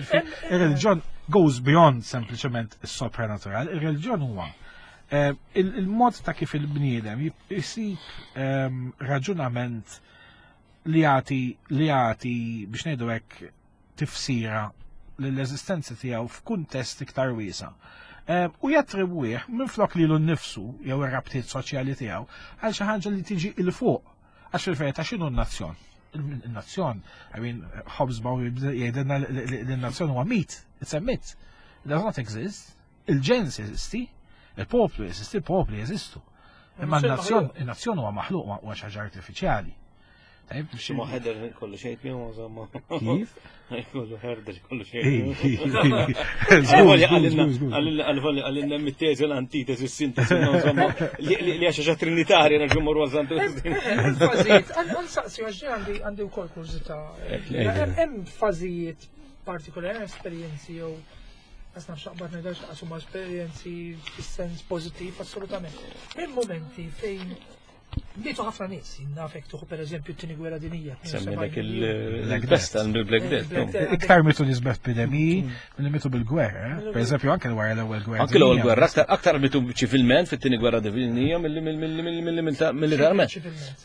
Ir-reliġjon goes beyond sempliċement is-sopranatural, ir-reliġjon huwa il-mod ta' kif il-bniedem jisib raġunament li jagħti li jagħti biex ngħidu hekk tifsira lill-eżistenza tiegħu f'kuntest iktar wiesa'. U jattribwih minflok lilu nnifsu jew ir-rabtiet soċjali tiegħu għal xi ħaġa li tiġi 'il fuq. Għax fil-verità x'inhu n-nazzjon? Il-nazzjon, I mean, Hobsbawm jgħidilna li n-nazzjon huwa mit, it's a myth. It does not exist. Il-ġens jeżisti, il-poplu jeżisti, il-popli jeżistu. Imma n-nazzjon, il-nazzjon huwa maħluq huwa xi ħaġa artifiċjali. Tajb, Xi ma ħeder kollu xejn miegħu insomma. Kif? Kollu ħerder kollu xejn. Għalilna mit-teżi l-antitesi, s-sintesi, insomma, li għaxa xa trinitarja nerġu morru għazzantu. Fażijiet, għansaqsi għax għandi għandi wkoll kurżità. Hemm fażijiet partikolari, hemm esperjenzi jew għas nafx naqbad ngħidha x'qas huma esperjenzi fis-sens pożittiv assolutament. Hemm momenti fejn mietu ħafna nies, nafek tuħu per eżempju t-tieni gwerra dinija. Semmilek il-pesta, il-Black Death. Iktar mitu nies b'epidemiji milli mitu bil-gwerra. Eh? Per eżempju, anke wara l-ewwel gwerra. Anke l-ewwel gwerra, aktar mitu ċivilment fit-tieni gwerra dinija milli militarment.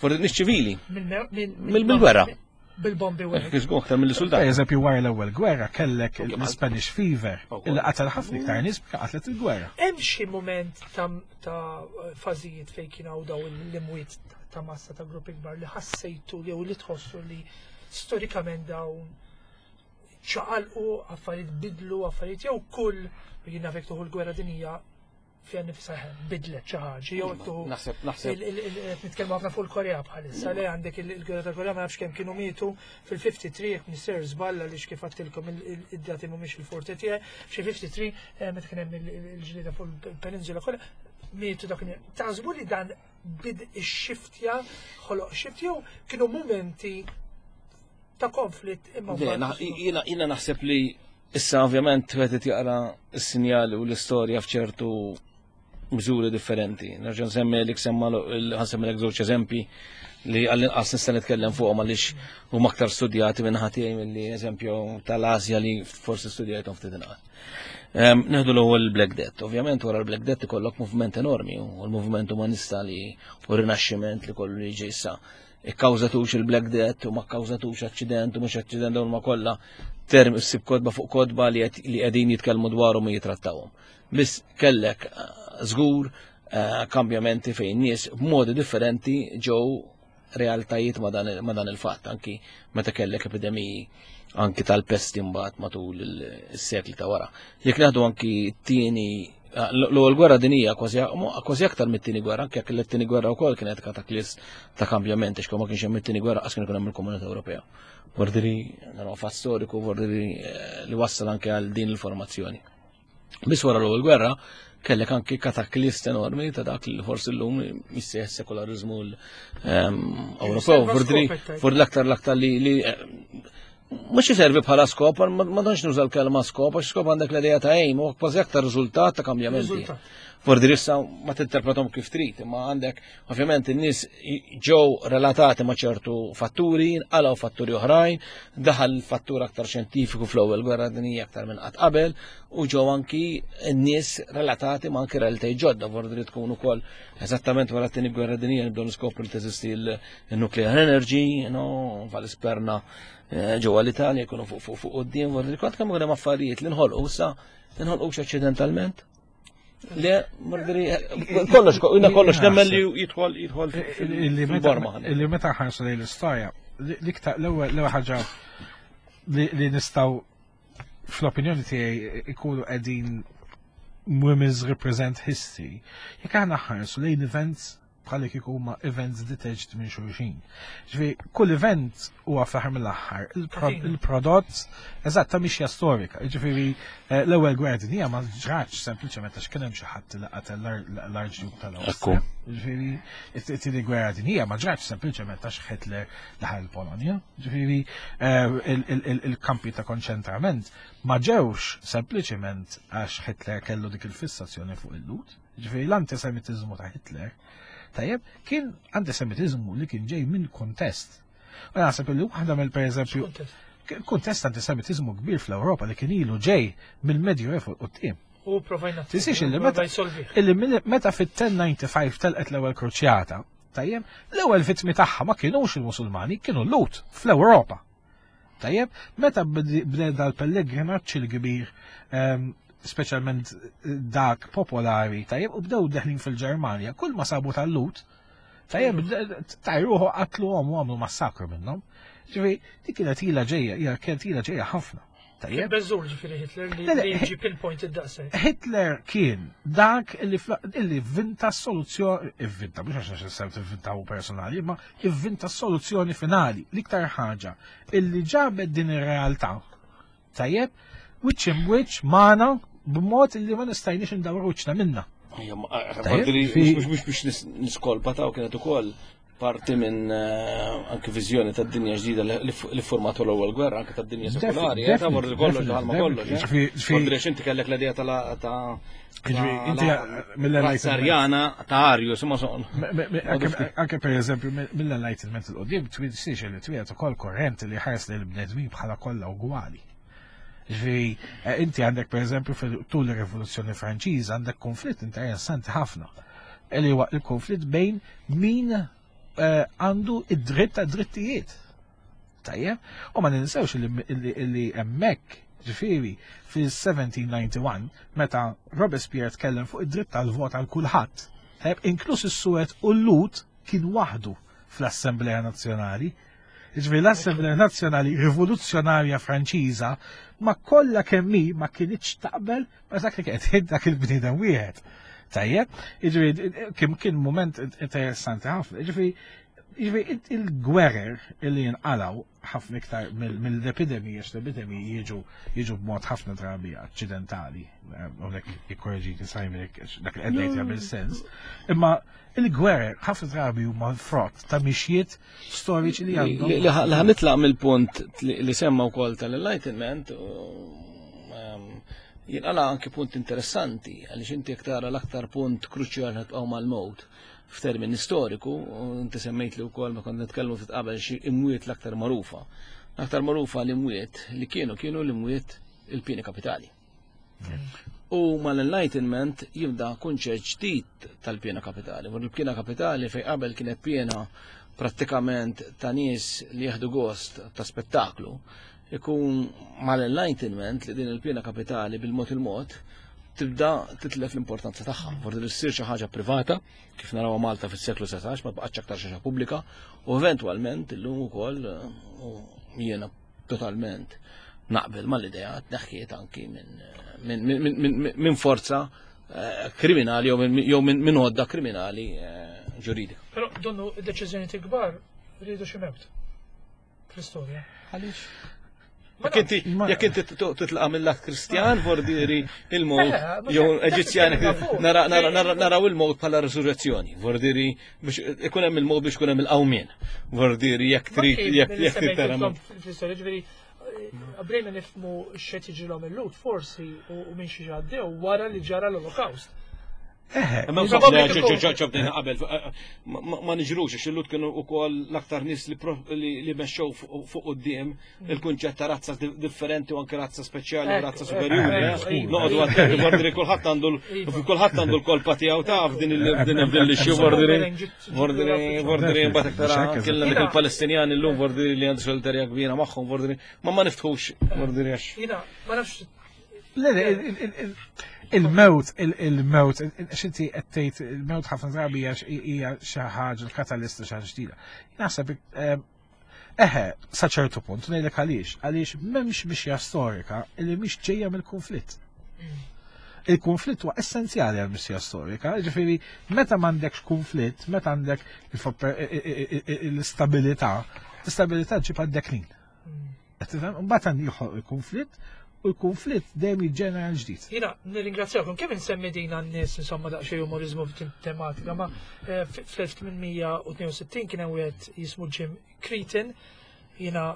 Forsi nies ċivili. Mill-gwerra. Bil-bombi u hekk. Kif aktar mill-soldat. Per eżempju, wara l-ewwel gwerra kellek l-Spanish Fever, illi qatel ħafna iktar nies qatlet il-gwerra. Hemm xi mument ta' fażijiet fejn kien hawn daw l-imwiet ta' massa ta' gruppi kbar li ħassejtu jew li tħossu li storikament dawn ċaqalqu, affarijiet bidlu, affarijiet jew kull jien nafek tuħu l-gwerra dinija. fiha nifisha bidlet xi ħaġa jew tu Naħseb naħseb qed nitkellmu ħafna fuq il-Korea bħalissa le għandek il-gwerra tal-Korea ma nafx kemm kienu mietu fil-53 jekk mister żball għaliex kif għadtilkom id-dati mhumiex il-forte tiegħi xi 53 eh, meta kien hemm il-ġlieda fuq il-peninsula kollha mietu dak taħsbu li dan bid ix-xiftja ħoloq xift jew kienu mumenti ta' konflitt imma jiena naħseb li Issa ovvjament wieħed jaqra s-sinjali u l-istorja f'ċertu miżuri differenti. Nerġa' nsemmi li semma ħansemmi żewġ eżempji li għall-inqas nista' nitkellem fuqhom għaliex huma aktar studjati minn ħatijaj milli eżempju tal-Asja li forsi studjajthom ftit inqas. Ehm, neħdu l-ewwel Black Death. Ovvjament wara l-Black Death ikollok moviment enormi u l-moviment umanista li u rinaxximent li kollu li ġej issa ikkawżatux il-Black Death u ma kkawżatux aċċident u mhux aċċident dawn ma kollha term issib kodba fuq kodba li qegħdin jitkellmu dwarhom u jitrattawhom. Biss kellek eh, żgur eh, kambjamenti fejn nies b'modi differenti ġew realtajiet ma dan il-fatt, anki meta kellek epidemiji anki tal-pesti mbagħad matul is-sekli ta' wara. Jekk naħdu anki t-tieni l-ewwel gwerra dinija kważi aktar mit-tieni gwerra, anke jekk it-tieni gwerra wkoll kienet kataklist ta' kambjament, għax ma kienx hemm it-tieni gwerra qas kien ikun hemm il-Komunità Ewropea. Vordiri, dan huwa fatt storiku, vordiri eh, li wassal anke għal din il-formazzjoni. Biss wara l-ewwel gwerra kellek anki kataklist enormi ta' dak li forsi llum jissejjaħ sekularizmu ehm, Ewropew. Vordiri, l-aktar l-aktar li eh, mhux iservi bħala skop, ma tantx nuża l-kelma skop, għax skop għandek l-idea ta' aim, u kważi aktar riżultat ta' kambjamenti. Vordi issa ma tinterpretom kif trid, imma għandek ovvjament in-nies ġew relatati ma' ċertu fatturi, nqalgħu fatturi oħrajn, daħal fattur aktar xjentifiku fl-ewwel gwerra dinjija aktar minn qatt qabel, u ġew anki n-nies relatati ma' anki realtajiet ġodda, vordi tkun ukoll eżattament wara t-tieni gwerra dinjija nibdew niskopru li teżisti l-nuclear energy, no, val-isperna eh, ġewwa l-Italja jkunu fuq fuq fuq quddiem, vordi kont kemm hemm affarijiet li nħolqu issa nħolqux aċċidentalment. Le, mordri, kollox, jina kollox nemmen li jidħol jidħol fil-borma. Illi meta ħarsu lejn l-istorja, l-iktar l-ewwel ħaġa li nistgħu fl-opinjoni tiegħi ikunu qegħdin women's represent history, jekk aħna ħarsu lejn events bħalli kieku huma events detached minn xulxin. Ġifieri kull event huwa fl-aħħar mill-aħħar il-prodott eżatt ta' mixja storika. Ġifieri eh, l-ewwel gwerra dinjija ma ġratx sempliċement għax kien hemm xi ħadd li qatel l-Arċduk tal-Awstrija. Ġifieri it-tieni gwerra dinjija ma ġratx sempliċement għax Hitler daħal il-Polonja. Ġifieri eh, il-kampi ta' konċentrament ma ġewx sempliċement għax Hitler kellu dik il-fissazzjoni fuq il-lut. Ġifieri l-antisemitiżmu ta' Hitler, tajjeb, kien antisemitiżmu li kien ġej minn kuntest. U naħseb li waħda mill pereżempju kuntest antisemitiżmu kbir fl-Ewropa li kien ilu ġej mill-Medju Evu quddiem. U provajna. Tisix illi meta illi meta fit-1095 telqet l-ewwel kruċjata, tajjeb, l-ewwel vittmi tagħha ma kienux il-Musulmani, kienu l-Lut fl-Ewropa. Tajjeb, meta bdejna dal-pellegrinaġġ il-kbir, ehm, speċjalment dak popolari, tajjeb, u bdew deħlin fil-Ġermanja, kull ma sabu tal-lut, tajjeb, tajruħu qatlu għom u għamlu massakru minnhom. Ġifieri, dik kienet ila ġejja, hija kienet ila ġejja ħafna. Tajjeb. Beżur ġifieri Hitler li ġi pinpoint id-daqshekk. Hitler kien dak li vinta soluzzjoni, ivvinta, mhux għax nixsew tivvinta hu personali, imma ivvinta soluzzjoni finali, l-iktar ħaġa illi ġabet din ir-realtà. Tajjeb, wiċċ imwiċċ magħna b'mod illi ma nistajniex indawru wiċċna minna. Mhux biex niskolpa ta' kienet ukoll parti minn eh, anke viżjoni tad-dinja ġdida li formatu l-ewwel gwerra anke tad-dinja sekulari, eh, ta' morri kollox daħal ma kollox. Eh. Andrex inti kellek l-idea tal ta' Inti mill-Enlightenment. ta' Arius, ma son. Anke per eżempju mill-Enlightenment il-qoddim twissiex li twiet ukoll korrent li ħares lil bnedmin bħala kollha ugwali. Ġifieri, inti għandek per eżempju tul ir-Rivoluzzjoni Franċiża għandek konflitt interessanti ħafna. Li huwa il-konflitt bejn min eh, għandu id-dritt ta' drittijiet. Tajjeb, u ma ninsewx li hemmhekk ġifieri fil-1791 meta Robespierre tkellem fuq id-dritt tal-vot għal kulħadd, tajjeb, inkluż is-suwed u l-lut kien waħdu fl-Assemblea Nazzjonali. Ġifieri l-Assemblea Nazzjonali Rivoluzzjonarja Franċiża ma kollha kemm hi ma kinitx taqbel ma dak li kienet dak il-bniedem wieħed. Tajjeb, jiġifieri kien kien moment interessanti ħafna. Jiġifieri jiġifieri il-gwerer li jinqalaw ħafna iktar mill-epidemiji għax l-epidemiji jiġu jiġu b'mod ħafna drabi aċċidentali. Hawnhekk ikkorreġini Simon dak li qed ngħid jagħmel sens. Imma il-gwerer ħafna drabi huma frott ta' mixjiet storiċi li għandhom. Li ħanitlaq mill-punt li semma wkoll tal-Enlightenment ehm, jinqala anki punt interessanti għaliex inti jekk tara l-aktar punt kruċjali ħatqgħu mal-mowt f'termini storiku, inti semmejt li wkoll ma kont nitkellmu ftit qabel xi imwiet l-aktar magħrufa. L-aktar magħrufa l-imwiet li kienu kienu l-imwiet il-pieni kapitali. U mal-Enlightenment jibda kunċett ġdid tal-pjena kapitali. U l-pjena kapitali fej qabel kienet pjena prattikament ta' nies li jieħdu gost ta' spettaklu, ikun mal-Enlightenment li din il-pjena kapitali bil-mod il-mod tibda titlef l-importanza tagħha. Forsi li ssir xi ħaġa privata, kif narawha Malta fis-seklu 19, ma baqgħetx aktar xi ħaġa pubblika, u eventwalment illum ukoll jiena totalment naqbel mal-idea tneħħiet anki minn forza eh, kriminali jew minn għodda kriminali eh, ġuridika. Però donnu id-deċiżjoni kbar rridu xi mewt fl-istorja. Għaliex? Jekk inti titlaqa mill-lat Kristjan, vordiri il-mowt, eh, jew Eġizzjan, naraw il-mowt bħala resurrezzjoni, vordiri biex ikun hemm il-mod biex ikun hemm il-qawmien. Vordiri jekk trid jekk jekk trid tara. Ġifieri bdejna nifhmu x'qed jiġrilhom il-Lhud forsi u minn xi għaddew wara li ġara l-Olokawst. Ġobdejna qabel, ma niġrux, għax il-Lhud kienu wkoll l-aktar nies li mexxew fuq quddiem il-kunċett ta' razza differenti u anke razza speċjali u razza superjuri. Eh? Noqogħdu attenti vordiri kulħadd għandu kulħadd għandu l-kolpa tiegħu taf din din l-issue vordiri vordiri vordiri mbagħad aktar kellna dik il-Palestinjani llum vordiri li għandu solidarja kbira magħhom vordiri ma ma niftħux vordiri għax. Jiena ma nafx Il-mewt, il-mewt, xinti għettejt, il-mewt ħafna drabi hija xi ħaġa l-katalista xi ħaġa ġdida. Naħseb eh, Eħe, sa ċertu punt, ngħidlek għaliex, għaliex m'hemmx mixja storika li mhix ġejja mill-kunflitt. Il-kunflitt huwa essenzjali għal mixja storika, ġifieri meta m'għandekx kunflitt, meta għandek l-istabilità, l-istabilità ġib għad-deklin. Tifhem? Mbagħad għandi joħloq il-kunflitt u l-kunflitt dejjem jiġġenera l-ġdid. Jiena nirringrazzjakom kemm insemmi din għan-nies insomma daqsxejn umorizmu f'din tematika, ma eh, fl-1862 kien hemm wieħed jismu Jim Cretin, jiena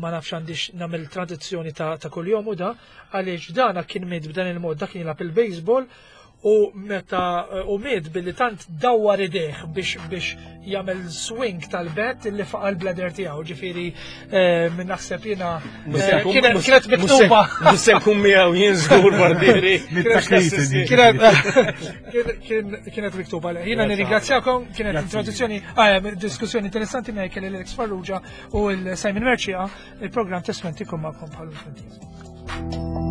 ma nafx għandix nagħmel tradizzjoni ta', ta kuljom u da, għaliex dana kien miet b'dan il-mod, dak kien jilgħab il-baseball u meta eh, u miet billi tant dawwar idejh biex biex jagħmel swing tal-bet li faqa l-bladder tiegħu, ġifieri eh, minn naħseb jiena eh, kienet miktuba. Mhux se nkun miegħu jien żgur barbieri. Kienet miktuba. Jiena nirringrazzjakom, kienet introduzzjoni, ah, diskussjoni interessanti miegħi kelli l-Alex Farrugia u l-Simon Mercia, il-programm Testmenti kum magħkom bħal